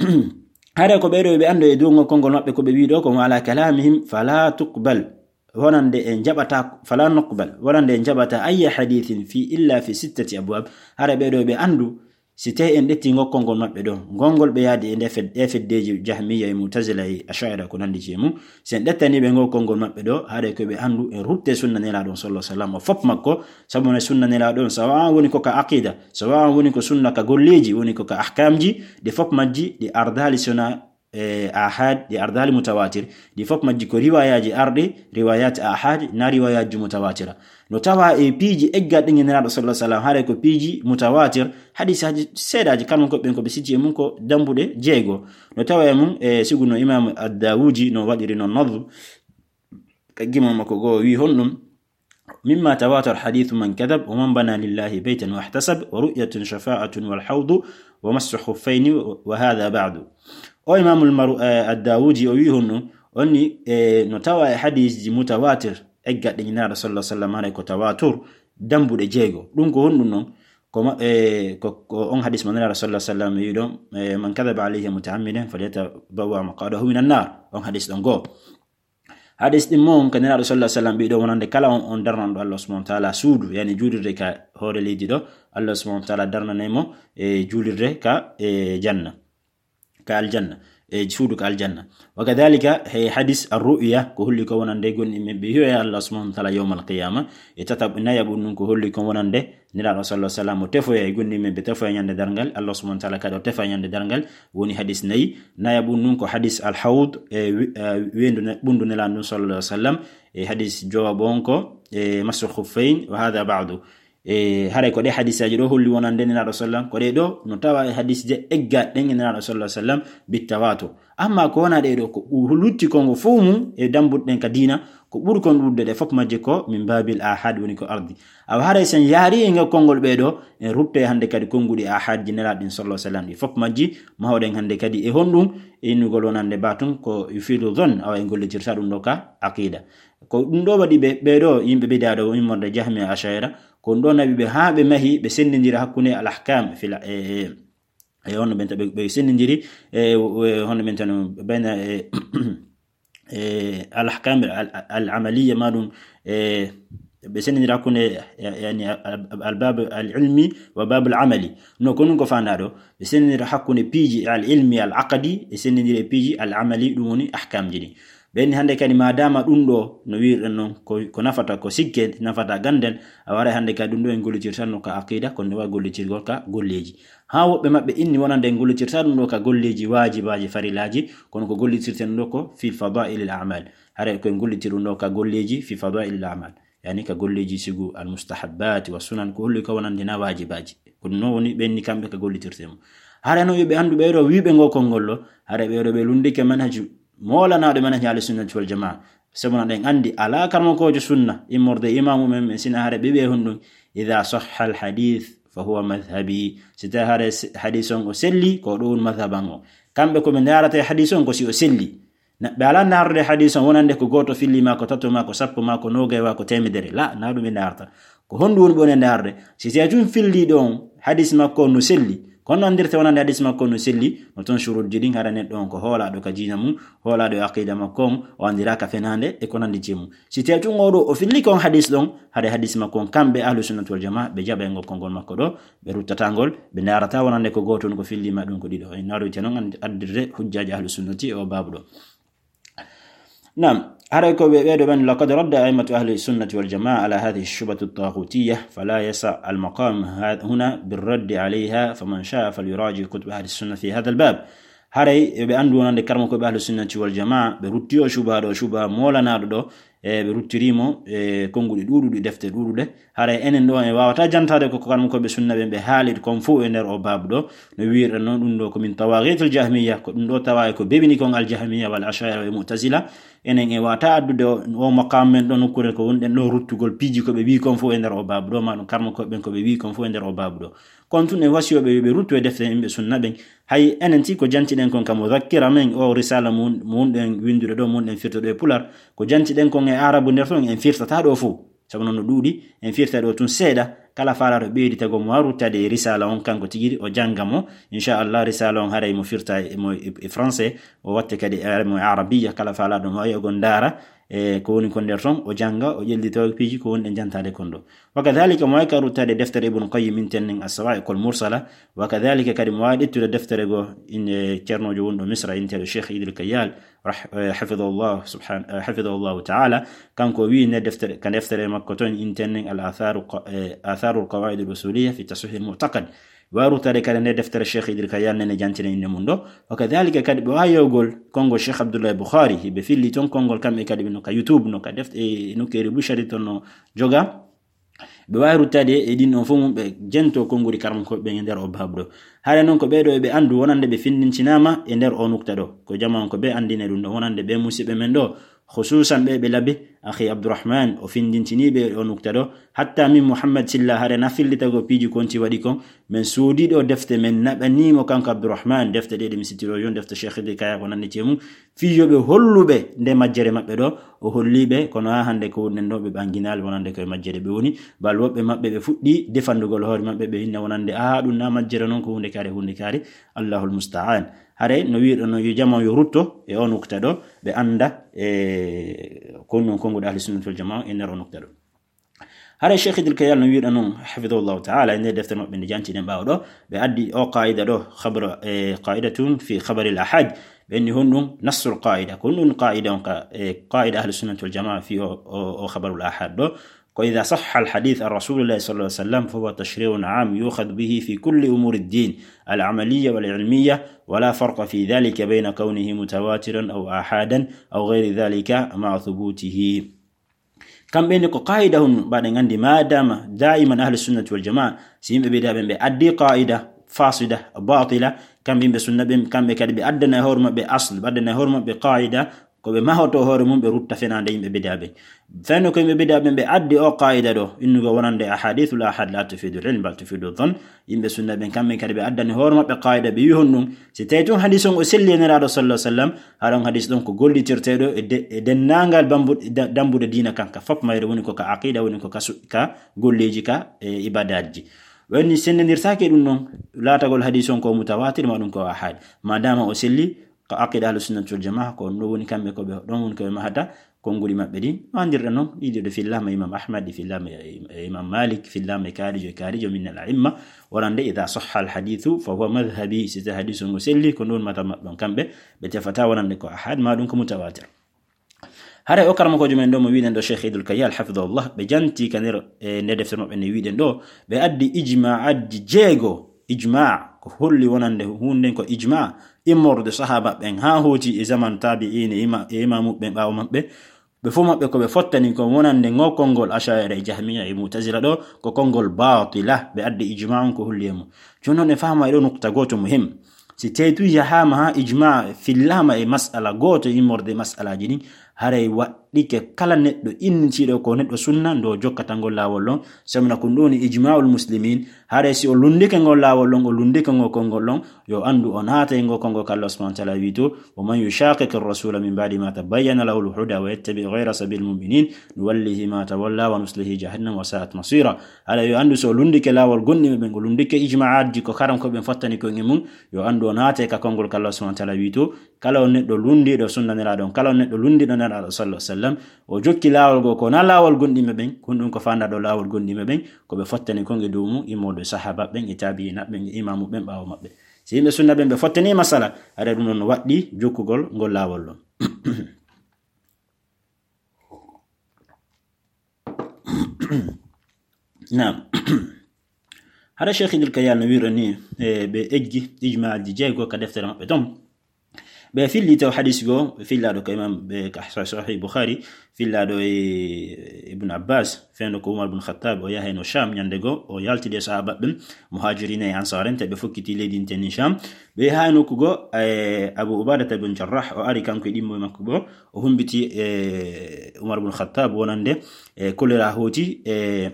Hare ko ɓeɗo ɓe ando e dungo konngol maɓɓe ko ɓe wi'i ɗo ko wa ala kalamihim fala tuqbal. Wonande en jaɓata, fala nuqbal. Wonande en jaɓata ayya hadithin fi illa fi sittati abwab. Hare ɓeɗo ɓe andu si tawi en ɗetti ngo konngol maɓɓe ɗo. Ngongol ɓe yaadi e nde fed-, e feddeji Jahmiya e Mu'tazila e Ash'ira ko nandi je mum. Si en ɗettani ɓe ngo konngol maɓɓe ɗo, haɗe ko ɓe andu en rutte sunna Nelaaɗo on sallallahu alaihi wasallam o fop makko, sabu ne sunna Nelaaɗo on, sawa woni ko ka aqida, sawa woni ko sunna ka golleji, woni ko ka ahkamji, ɗi fop majji ɗi ardali sona, e, ahad, ɗi ardali mutawatir, ɗi fop majji ko riwayaji arɗi, riwayat ahad, na riwayaji mutawatira. No tawa e piiji eggaɗi ɗi Nelaaɗo sallallahu alaihi wasallam, haɗe ko piiji mutawatir, hadisaji seeɗaji, kanum ko ɓen ko ɓe siti e mum ko dambuɗe jeego. No tawa e mum, e, siguno Imam Ad-Dawudi no waɗiri non nadm, ka gimol makko goo wi honɗum: "Mimma tawatar hadithu man kadhab wa man bana lillahi baytan wahtasab wa ru'yatun shafa'atun wal hawdu wa massu khuffayni wa hadha ba'du." O Imamul Maru-, eh, Ad-Dawudi o wi honɗum, onni, eh, no tawa e hadisji mutawatir, eggaɗe Nelaaɗo sallallahu alaihi wasallam, haray ko tawatur, dambuɗe jeego. Ɗum ko honɗum non? Ko ma-, eh, ko, ko on hadis mo Nelaaɗo sallallahu alaihi wasallam wi ɗon, eh, "Man kadhaba alayya muta'ammidan falyatabawwa maq'adahu minan nar." On hadis ɗon goo. Hadis ɗin mo on ka Nelaaɗo sallallahu alaihi wasallam ɓiɗo wonande kala on, on darnanɗo Allah subhanahu wa ta'ala suudu, yani juulirde ka hoore leydi ɗo, Allah subhanahu wa ta'ala darnanay mo e juulirde ka, e janna, ka aljanna, e suudu ka aljanna. Wa kadhalika he hadis ar-ru'ya, ko holli ko wonande gonɗi men ɓe hiyo e Allah subhanahu wa ta'ala yawmal qiyama. E tata nayaɓu ɗum ko holli ko wonande Nelaaɗo sallallahu alaihi wasallam o tefoya e gonɗi men ɓe tefoya ñande darngal, Allah subhanahu wa ta'ala kadi o tefa ñande darngal, woni hadis nayi. Nayaɓu ɗum ko hadis al-hawd, e wi-, e weendu ne-, ɓundu Nelaaɗo ɗum sallallahu alaihi wasallam, e hadis jowaɓo on ko, e massu khuffayn wa hadha ba'du. E haray ko ɗe hadisaji ɗo holli wonande Nelaaɗo sallam, ko ɗe ɗo no tawa e hadisje eggaɗe ɗen e Nelaaɗo sallallahu alaihi wasallam bit tawatur. Amma ko wona ɗe ɗo ko ɓu-, lutti kongo fof mum e dambuɗe ɗen ka diina, ko ɓuri kon ɗuɗde ɗe fof majje ko min babil ahad woni ko ardi. Awa haray sen yaari e ngal konngol ɓe ɗo, en rutte hande kadi konnguɗi ahadji Nelaaɗo ɗin sallallahu alaihi wasallam ɗi fof majji, mahoɗen hande kadi e honɗum, e innugol wonande batun ko yufidu dhann, awa en gollitirta ɗum ɗo ka aqida. Ko ɗum ɗo waɗi ɓe, ɓe ɗo yimɓe bid'a ɗo immorde Jahmiya Ash'ira, ko ɗum ɗo nawi ɓe haa ɓe mahi, ɓe sendindira hakkunde al ahkam fil, e, e, e honno ɓen ta-, ɓe, ɓe sendindiri, e, e, honno ɓen tan, bayna, e, e, al ahkam al, al, al amaliya ma ɗum, e, ɓe sendindira hakkunde, ya-, yani, al, al, al bab al ilmi wa bab al amali. No ko ɗum ko fanda ɗo, ɓe sendindira hakkunde piiji al ilmi al aqdi, ɓe sendindira e piiji al amali, ɗum woni ahkamji ɗi. Ɓen hande kadi ma dama ɗum ɗo, no wirɗen non, ko, ko nafata, ko sikke nafata ganden, a waray hande kadi ɗum ɗo en gollitirtan no ka aqida, ko nde wa gollitirgol ka golleji. Ha woɓɓe maɓɓe inni wonande en gollitirta ɗum ɗo ka golleji wajibaji farilaji, kono ko gollitirten ɗo ko fi fadailil a'mal. Hare ko en gollitir ɗum ɗo ka golleji fi fadailil a'mal. Yani ka golleji sigu al mustahabbat wa sunan, ko holli ko wonande na wajibaji. Ko ɗum no woni ɓenni kamɓe ka gollitirte mo. Hare no ɓe andu ɓe ɗo wiɓe ngo konngol ɗo, hare ɓe ɗo ɓe lundike manhaju moolanaɗo manhaj ahli sunnati wal jamaa. Sabu na ɗen andi ala karmakojo sunna, immorde imamu men, men sina hare ɓe ɓe honɗum, idha sahha al hadith fa huwa madhhabi. Si tawi hare s-, hadis on o selli, ko ɗo woni madhhaban o. Kamɓe ko ɓe ndarata e hadis on ko si o selli. Na, ɓe ala ndarde hadis on wonande ko goto filli ma, ko tato ma, ko sappo ma, ko nogay wa, ko temedere. La, na ɗum ɓe ndarta. Ko honɗum woni ɓe woni ndarde? Si tawi tun filli ɗon hadis makko on no selli, kono andirte wonande hadis makko on no selli, no ton shurutji ɗin hara neɗɗo on ko hoolaɗo ka diina mum, hoolaɗo e aqida makko on, o andiraka fenande e ko nandi je mum. Si tawi tun oɗo o filli kon hadis ɗon, hara hadis makko on kamɓe ahlu sunnati wal jamaa ɓe jaɓa e ngol konngol makko ɗo, ɓe ruttata ngol, ɓe ndarata wonande ko goto on ko filli ma ɗum ko ɗiɗo. En naroyte non an-, addirde hujjaji ahlu sunnati e o babu ɗo. Naam, haray ko ɓe ɓeɗo ɓen, laqad radda a'immatu ahli sunnati wal jamaa ala hadhihi shubhati taghutiyya, fala yasa al maqam ha-, huna bir raddi alayha, faman sha'a falyuraji kutub ahli sunna fi hadha al bab. Haray ɓe anndu wonande karmo ko ɓe ahlu sunnati wal jamaa, ɓe rutti o cubaha ɗo, cubaha moolanaɗo ɗo, e ɓe ruttiri mo e konnguɗi ɗuuɗuɗi, defte ɗuuɗuɗe. Haray enen ɗo en waawata jantaade ko karmo ko ɓe sunna ɓen ɓe haali kon fof e nder o baabu ɗo. No wiirɗen noon, ɗum ɗo ko min tawaagiitul jahmiya, ko ɗum ɗo tawa e ko bebini kon al jahmiya wal ashaira e mu'tazila. Enen en waawata addude o, o maqaam men ɗo nokkuure ko wonɗen ɗo ruttugol piiji ko ɓe wii kon fof e nder o baabu ɗo, ma ɗum karmo ko ɓen ko ɓe wii kon fof e nder o baabu ɗo. Kon tun en wasiyoo ɓe yo ɓe ruttu e defte yimɓe sunna ɓen. Hay enen ti ko jantiɗen kon ka mudakkira men, o risala mun, mun ɗen winndude ɗo, mun ɗen firta ɗo e pular, ko jantiɗen kon e arabu nder ton, en firtata ɗo fof. Sabu noon no ɗuuɗi, en firta ɗo tun seeɗa, kala faalaaɗo ɓeyditagol mo, a ruttade e risala on, kanko tigi o jannga mo. Inchallah, risala on haray mo firta e, mo e, e français, o watte kadi e, mo e arabiya, kala faalaaɗo mo ayogon ndaara, e ko woni kon nder ton, o jannga, o ƴellito piiji ko woni ɗen jantaade kon ɗo. Wa kadhalika mo waawi ka ruttade deftere Ibn Qayyim inten nen As-Sawa'iqul Mursala, wa kadhalika kadi mo waawi ƴettude deftere goo inde ceernoojo wonɗo Misra, inteeɗo Cheikh Idil Kayyal, rah-, eh, hafidahullah subhan-, eh, hafidahullahu ta'ala. Kanko wi'i nde deftere, ka deftere makko ton inten nen Al Atharu qa-, eh, Atharul Qawaid Al Usuliya fi Tasihih Al Mu'taqad. Waawi ruttade kadi nde deftere Cheikh Idil Kayyal nen e jantine innde mum ɗo. Wa kadhalika kadi ɓe waawi yewgol konngol Cheikh Abdullah Bukhari, ɓe filli ton konngol kamɓe kadi no ka YouTube, no ka deft-, e nokkeeri Bushari ton no joga. Ɓe waawi ruttade e ɗin ɗon fof mum, ɓe jento konnguri karmo ko ɓen e nder o baabu ɗo. Haray noon ko ɓee ɗo eɓe anndu wonande ɓe finndintinaama e nder o nukta ɗo. Ko jamaa on ko ɓe anndine ɗum ɗo wonande ɓe musiɓɓe men ɗo. Khususan ɓe ɓe labi, akhi Abdourahmane, o finndintinii ɓe o nukta ɗo. Hatta min Mouhammad Silla, hare na fillitago piiji konti waɗi kon. Men soodii ɗo defte, men naɓanii mo kanko Abdourahmane, defte ɗe ɗe mi sittiroo yon, defte Cheikh Idil Kaya ko nanndi e mum. Fii yo ɓe hollu ɓe nde majjere maɓɓe ɗo, o holli ɓe, kono haa hannde ko wonɗen ɗo, ɓe ɓanginaali wonande ko e majjere ɓe woni. Bal woɓɓe maɓɓe ɓe fuɗɗii defandugol hoore maɓɓe, ɓe hinna wonande, "Aa, ɗum na majjere non, ko huunde kaare, huunde kaare." Allahul musta'an. Haray no wiirɗo no yo jamaa yo rutto e o nukta ɗo, ɓe annda e ko non konnguɗi ahli sunnati wal jamaa e nder o nukta ɗo. Haray Cheikh Idil Kayal no wiirɗa non, hafidahullahu ta'ala, e nder deftere maɓɓe nde jantiɗen ɓaawo ɗo, ɓe addi o qaida ɗo, khabar, e, qaidatun fi khabaril ahad. Ɓe inni honɗum nassul qaida. Ko honɗum qaida on ka, e, qaida ahli sunnati wal jamaa fi o, o, o khabarul ahad ɗo. Ko idha sahha al hadith an rasulillahi sallallahu alaihi wasallam fa huwa tashri'un am yukhadhu bihi fi kulli umuri ad-din al amaliya wal ilmiya wa la farqa fi dhalika bayna kawnihi mutawatiran aw ahadan aw ghayri dhalika ma'a thubutihi. Kamɓe ni ko qaida hun mbaɗen anndi, madama daiman ahli sunnati wal jamaa, si yimɓe bida ɓen ɓe addi qaida fasida, batila, kamɓe yimɓe sunna ɓen, kamɓe kadi ɓe addana e hoore maɓɓe asl, ɓe addana e hoore maɓɓe qaida, ko ɓe mahoto hoore mum, ɓe rutta fenande yimɓe bida ɓen. Fenno ko yimɓe bida ɓen ɓe addi o qaida ɗo, innugo wonande ahadithul ahad la tufidu al ilm bal tufidu dhann. Yimɓe sunna ɓen kamɓe kadi ɓe addani hoore maɓɓe qaida, ɓe wi honɗum, si tawi tun hadis on o selli e Nelaaɗo sallallahu alaihi wasallam, haɗon hadis ɗon ko gollitirteeɗo e de-, e denndaangal bambu-, da-, dambuɗe diina kan, ka fop mayre, woni ko ka aqida, woni ko ka su-, ka golleeji, ka, e, ibadaatji. Woni senndirtaake ɗum ɗon, laatagol hadis on ko mutawatir, ma ɗum ko ahad. Madama o selli, ka aqida ahlu sunnati wal jamaa, ko ɗum ɗo woni kamɓe ko ɓe, ɗon woni ko ɓe mahata, konnguɗi maɓɓe ɗin. No anndirɗen non, ɗiɗi ɗo fillaama Imam Ahmad, ɗi fillaama e, e Imam Malik, fillaama e kaarijo, e kaarijo min al a'imma, wonande, "Idha sahha al hadithu fa huwa madhhabi." Si tawi hadis on ngo selli, ko ɗon madhhab maɓɓe on kamɓe, ɓe tefata wonande ko ahad, ma ɗum ko mutawatir. Haray o karamokoojo men ɗo mo wiɗen ɗo Cheikh Idul Kayal, hafidahullah, ɓe janti ka nder, e, nde deftere maɓɓe nde wiɗen ɗo, ɓe addi ijma'aji jeego, ijma' ko holli wonande huunde ko ijma', immorde sahaba ɓen haa hooti e zaman tabi'in e ima-, e imamu ɓen ɓaawo maɓɓe, ɓe fof maɓɓe ko ɓe fottani ko wonande ngo konngol Asha'ira e Jahmiya e Mu'tazila ɗo, ko konngol batila, ɓe addi ijma' on ko holli e mum. Jooni noon en faama e ɗo nukta gooto muhim. Si tawi tun yahaama haa ijma' fillaama e mas'ala gooto immorde e mas'alaaji ɗin, haray waɗɗike kala neɗɗo innitiiɗo ko neɗɗo sunna ndo jokkata ngol laawol ɗon, sabu na ko ɗum woni ijma'ul muslimin, haray si o lunndike ngol laawol ɗon, o lunndike ngol konngol ɗon, yo anndu o naatay ngol konngol ko Allah subhanahu wa ta'ala wi to, "Wa man yushaqiqir rasula min ba'di ma tabayyana lahul huda wa yattabi' ghayra sabilil mu'minin nuwallihi ma tawalla wa nuslihi jahannam wa sa'at masira." Haray yo anndu so o lunndike laawol gonɗinɓe ɓen, o lunndike ijma'aji ko karam ko ɓen fottani ko e mum, yo anndu o naatay ka konngol ko Allah subhanahu wa ta'ala wi to, kala on neɗɗo lunndiiɗo sunna Nelaaɗo on, kala on neɗɗo lunndiiɗo Nelaaɗo sallallahu alaihi wasallam, o jokki laawol goo ko na laawol gonɗinɓe ɓen, ko ɗum ko faandaɗo laawol gonɗinɓe ɓen, ko ɓe fottani kon e dow mum, immorde sahaba ɓen, e tabi'ina ɓen, e imamu ɓen ɓaawo maɓɓe. Si yimɓe sunna ɓen ɓe fottani masala, haray ɗum ɗon no waɗɗi jokkugol ngol laawol ɗon. Naam. Hara Cheikh Idil Kayal no wiiro ni, e, ɓe eggi ijmaaji jeego ka deftere maɓɓe ton. Ɓe filli taw hadis goo, ɓe fillaaɗo ka imam, ɓe ka Sahih Bukhari, fillaaɗo e Ibn Abbas, fewndo ko Umar ibn Khattab, o yahayno Sham, ñande goo, o yaltidi e sahaaba ɓen, muhajirina e ansar en, tawi ɓe fokkiti leydi nten ni Sham. Ɓe yahay nokku goo, e Abu Ubadata ibn Jarrah, o ari kanko e ɗimmo e makko goo, o humbiti e Umar ibn Khattab wonande, e kolera hooti, e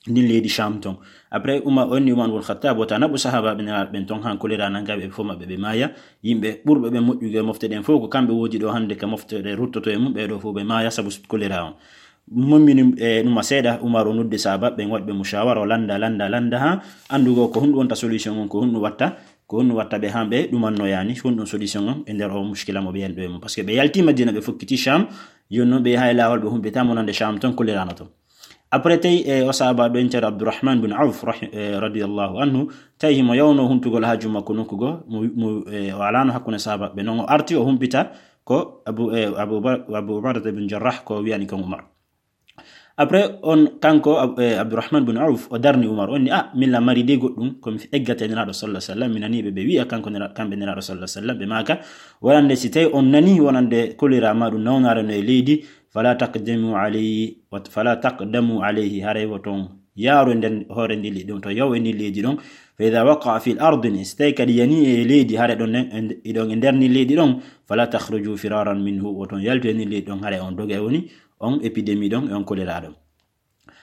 ndin leydi Sham ton. Après, Umar, o inni Umar ibn Khattab, wota naɓu sahaaba ɓen, ɓen ton han kolera nanga ɓe, fof maɓɓe ɓe maaya. Yimɓe ɓurɓe ɓe moƴƴugo e mofte ɗen fof, ko kamɓe woodi ɗo hande ka mofte ɗe ruttoto e mum, ɓe ɗo fof ɓe maaya sabu kolera on. Mommini, e, numa seeɗa, Umar o noddi sahaaba ɓen, waɗi ɓe mushawara, o landa, landa, landa, ha andugo ko honɗum wonta solution on, ko honɗum watta, ko honɗum watta ɓe han ɓe ɗumanno yani, honɗum solution on e nder o mushkila mo ɓe yani ɗo e mum. Parce que ɓe yalti Madina, ɓe fokkiti Sham, yon non ɓe yahay laawol, ɓe humpita mo nande Sham ton, kolera no ton. Après, tawi, e, o sahaaba ɗo intere Abdurrahman bin Auf, rahi-, e, radiyallahu anhu, tawi himo yawno huntugol haaju makko nokku goo, mo, mo, e, o alano hakkunde sahaaba ɓe. Non o arti, o humpita ko Abu, e, Abu Ba-, Abu Ubaadata bin Jarrah ko wiyani kon Umar. Après, on, kanko, Ab-, e, Abdurrahman bin Auf, o darni Umar, on ni, "Ah, min la mari de goɗɗum, ko mi eggata e Nelaaɗo sallallahu alaihi wasallam, mi nani ɓe, ɓe wi'a kanko Nela-, kamɓe Nelaaɗo sallallahu alaihi wasallam, ɓe maaka, wonande si tawi on nani wonande kolera ma ɗum nawnaare no e leydi, fala taqdamu alayhi, wat-, fala taqdamu alayhi, haray woton yaaru e nder hoore ndi leydi ɗon, to yaw e ndi leydi ɗon, fa idha waqa'a fi ardin, si tawi kadi yani e leydi, haray ɗon nen, e nd-, iɗon e nder ndi leydi ɗon, fala takhruju firaran minhu, woton yaltu e ndi leydi ɗon, haray on doga e woni on épidémie ɗon, e on kolera ɗon."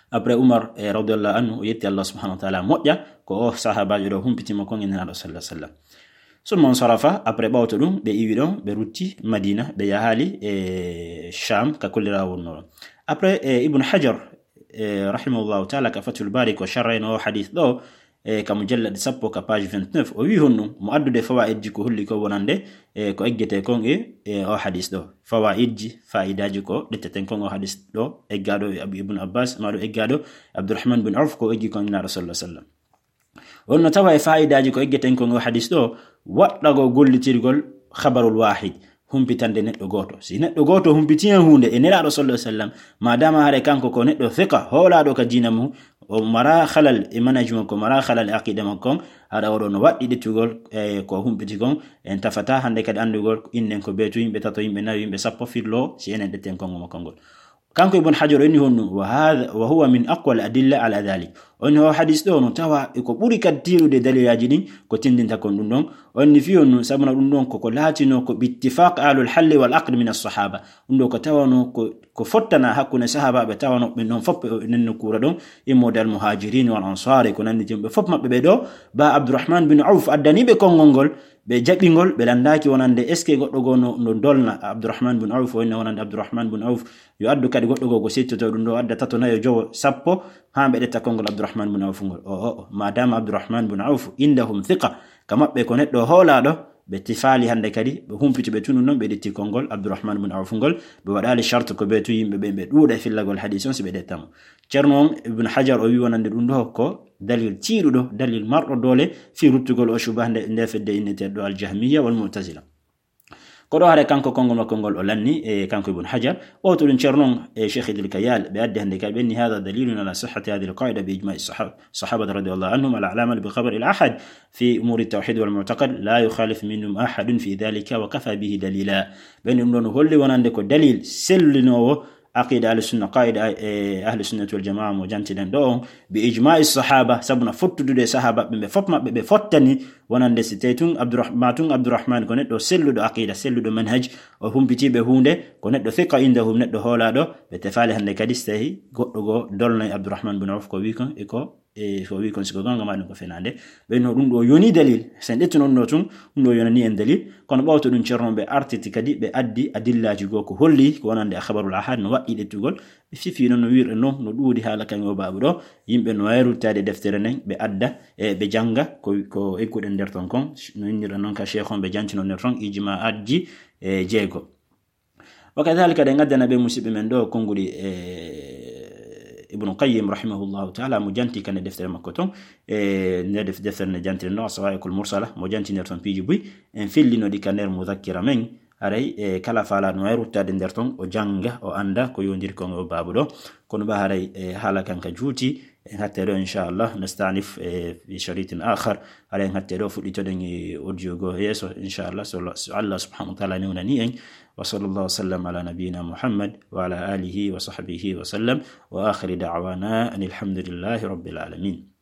Après Umar, e, radiyallahu anhu, o yetti Allah subhanahu wa ta'ala moƴƴa, ko o sahaabaajo ɗo humpitimo kon e Nelaaɗo sallallahu alaihi wasallam. Summa insarafa, après ɓawto ɗum, ɓe iwi ɗon, ɓe rutti Madina, ɓe yahali e Sham, ka kolera wonno ɗon. Après, e, Ibn Hajar, e, rahimahullahu ta'ala, ka Fathul Bari, ko sharrayno o hadith ɗo, e, ka mujallad sappo, ka page vingt-neuf, o wi honɗum, mo addude fawaidji ko holli ko wonande, e, ko eggete kon e, e, o hadith ɗo. Fawaidji, faidaaji ko ɗetteten kon o hadith ɗo, eggaaɗo e Abu Ibn Abbas, ma ɗo eggaaɗo Abdurrahman bin Auf, ko eggi kon Nelaaɗo sallallahu alaihi wasallam. On no tawa e faidaaji ko eggeten kon o hadith ɗo, waɗɗagol gollitirgol khabarul wahid, humpitande neɗɗo gooto. Si neɗɗo gooto humpiti en huunde e Nelaaɗo sallallahu alaihi wasallam, ma dama hare kanko ko neɗɗo thiqa, hoolaaɗo ka diina mum, o mara halal e manhaj makko, mara halal e aqida makko kon, haɗa oɗo no waɗɗi ɗettugol, e, ko humpiti kon, en tafata hande kadi andugol innen ko ɓe tu yimɓe tato, yimɓe nayo, yimɓe sappo firlo, si enen ɗetten kongo makko ngol. Kanko Ibn Hajar o inni honɗum, "Wa hadha, wa huwa min aqwa al-adilla ala dhalik." O inni o hadith ɗo no tawa e ko ɓuri kadi tiiɗude daliilaaji ɗin ko tindinta kon ɗum ɗon. O inni fii honɗum, sabuna ɗum ɗon koko laatino ko bi ittifaq ahlul halli wal aqd min as-sahaba. Ɗum ɗo ko tawano ko, ko fottana hakkunde sahaabaaɓe tawano ɓe non fof ɓe nen nokkuure ɗon, immorde al muhajirin wal ansar, ko nandi jom ɓe fof maɓɓe ɓe ɗo, ba Abdurrahman bin Auf addani ɓe konngol ngol, ɓe jaɓi ngol, ɓe landaaki wonande est-ce que goɗɗo goo no, no dolna Abdurrahman bin Auf, o inna wonande Abdurrahman bin Auf, yo addu kadi goɗɗo goo ko settoto ɗum ɗo, adda tato, nayo, jowo, sappo, haa ɓe ɗetta konngol Abdurrahman bin Auf ngol. O, o, o, madama Abdurrahman bin Auf indahum thiqa, ka maɓɓe ko neɗɗo hoolaaɗo, ɓe tifaali hande kadi, ɓe humpiti ɓe tunu non, ɓe ɗetti konngol Abdurrahman bin Auf ngol, ɓe waɗaali charte ko ɓe tu yimɓe ɓe, ɓe ɗuuɗa e fillagol hadith on si ɓe ɗetta mo. Ceerno on Ibn Hajar o wi wonande ɗum ɗo ko dalil tiiɗuɗo, dalil marɗo doole fii ruttugol o shubaha nde, nde fedde inneteeɗo ɗo Al-Jahmiyya wal Mu'tazila. Ko ɗo hare kanko konngol makko ngol o lanni, e kanko Ibn Hajar, ɓawto ɗum Ceerno on, e Cheikh Idil Kayal, ɓe addi hande kadi ɓe ni, "Hadha dalilun ala sihhati hadhihi al-qa'ida bi ijma'i sahab-, sahabati radiyallahu anhum ala al-amal bi khabar al-ahad fi umuri tawhid wal mu'taqad, la yukhalif minhum ahadun fi dhalika wa kafa bihi dalila." Ɓe ni ɗum ɗon holli wonande ko dalil sellinoowo aqida ahli sunna, qaida, e, ahli sunnati wal jamaa mo jantiɗen ɗo on, bi ijma'i sahaba, sabu na fottudude e sahaba ɓe, ɓe fof maɓɓe ɓe fottani, wonande si tawi tun Abdurrah-, ma tun Abdurrahman ko neɗɗo selluɗo aqida, selluɗo manhaj, o humpitiiɓe huunde, ko neɗɗo thiqa indahum, neɗɗo hoolaaɗo, ɓe tefaali hande kadi si tawi goɗɗo goo dolnay Abdurrahman bin Auf ko wi kon e ko e ko wi kon, si ko gonga ma ɗum ko fenaande. Ɓe no ɗum ɗo yoni dalil, sen ɗettuno ɗum ɗo tun, ɗum ɗo yonani en dalil. Kono ɓawto ɗum Ceerno ɓe artiti kadi, ɓe addi adillaaji goo ko holli ko wonande a khabarul ahad no waɗɗi ɗettugol. Ɓe fifi noon no wirɗe noon, no ɗuuɗi haala kan o baabu ɗo. Yimɓe no waawi ruttaade deftere nden, ɓe adda, e ɓe jannga ko, ko egguɗen nder ton kon. No innirɗen noon ka Cheikh on, ɓe jantino nder ton ijma'aatji, e, jeego. Wa kadhalika, ɗen addana ɓe musidɓe men ɗo konnguɗi, e, Ibnu Qayyim rahimahullahu ta'ala, mo janti kane deftere makko ton, e, nde def-, deftere nde jantiren ɗo, As-Sawa'iqul Mursala, mo janti nder ton piiji buy, en fillino ɗi ka nder muzakkira men, haray, e, kala faalaɗo no waawi ruttaade nder ton, o jannga, o annda ko yondiri kon o baabu ɗo. Kono ba haray, e, haala kan ka juuti, En hatte ɗo, inchallah, nastanif, eh, fi sharitin akhar. Ala en hatte ɗo, fuɗɗitoɗen e audio go yeeso, inchallah, so, so Allah subhanahu wa ta'ala newnani en. Wa sallallahu wa sallam ala nabiyyina Muhammad wa ala alihi wa sahbihi wa sallam. Wa akhiru da'wana anil hamdulillahi rabbil alamin.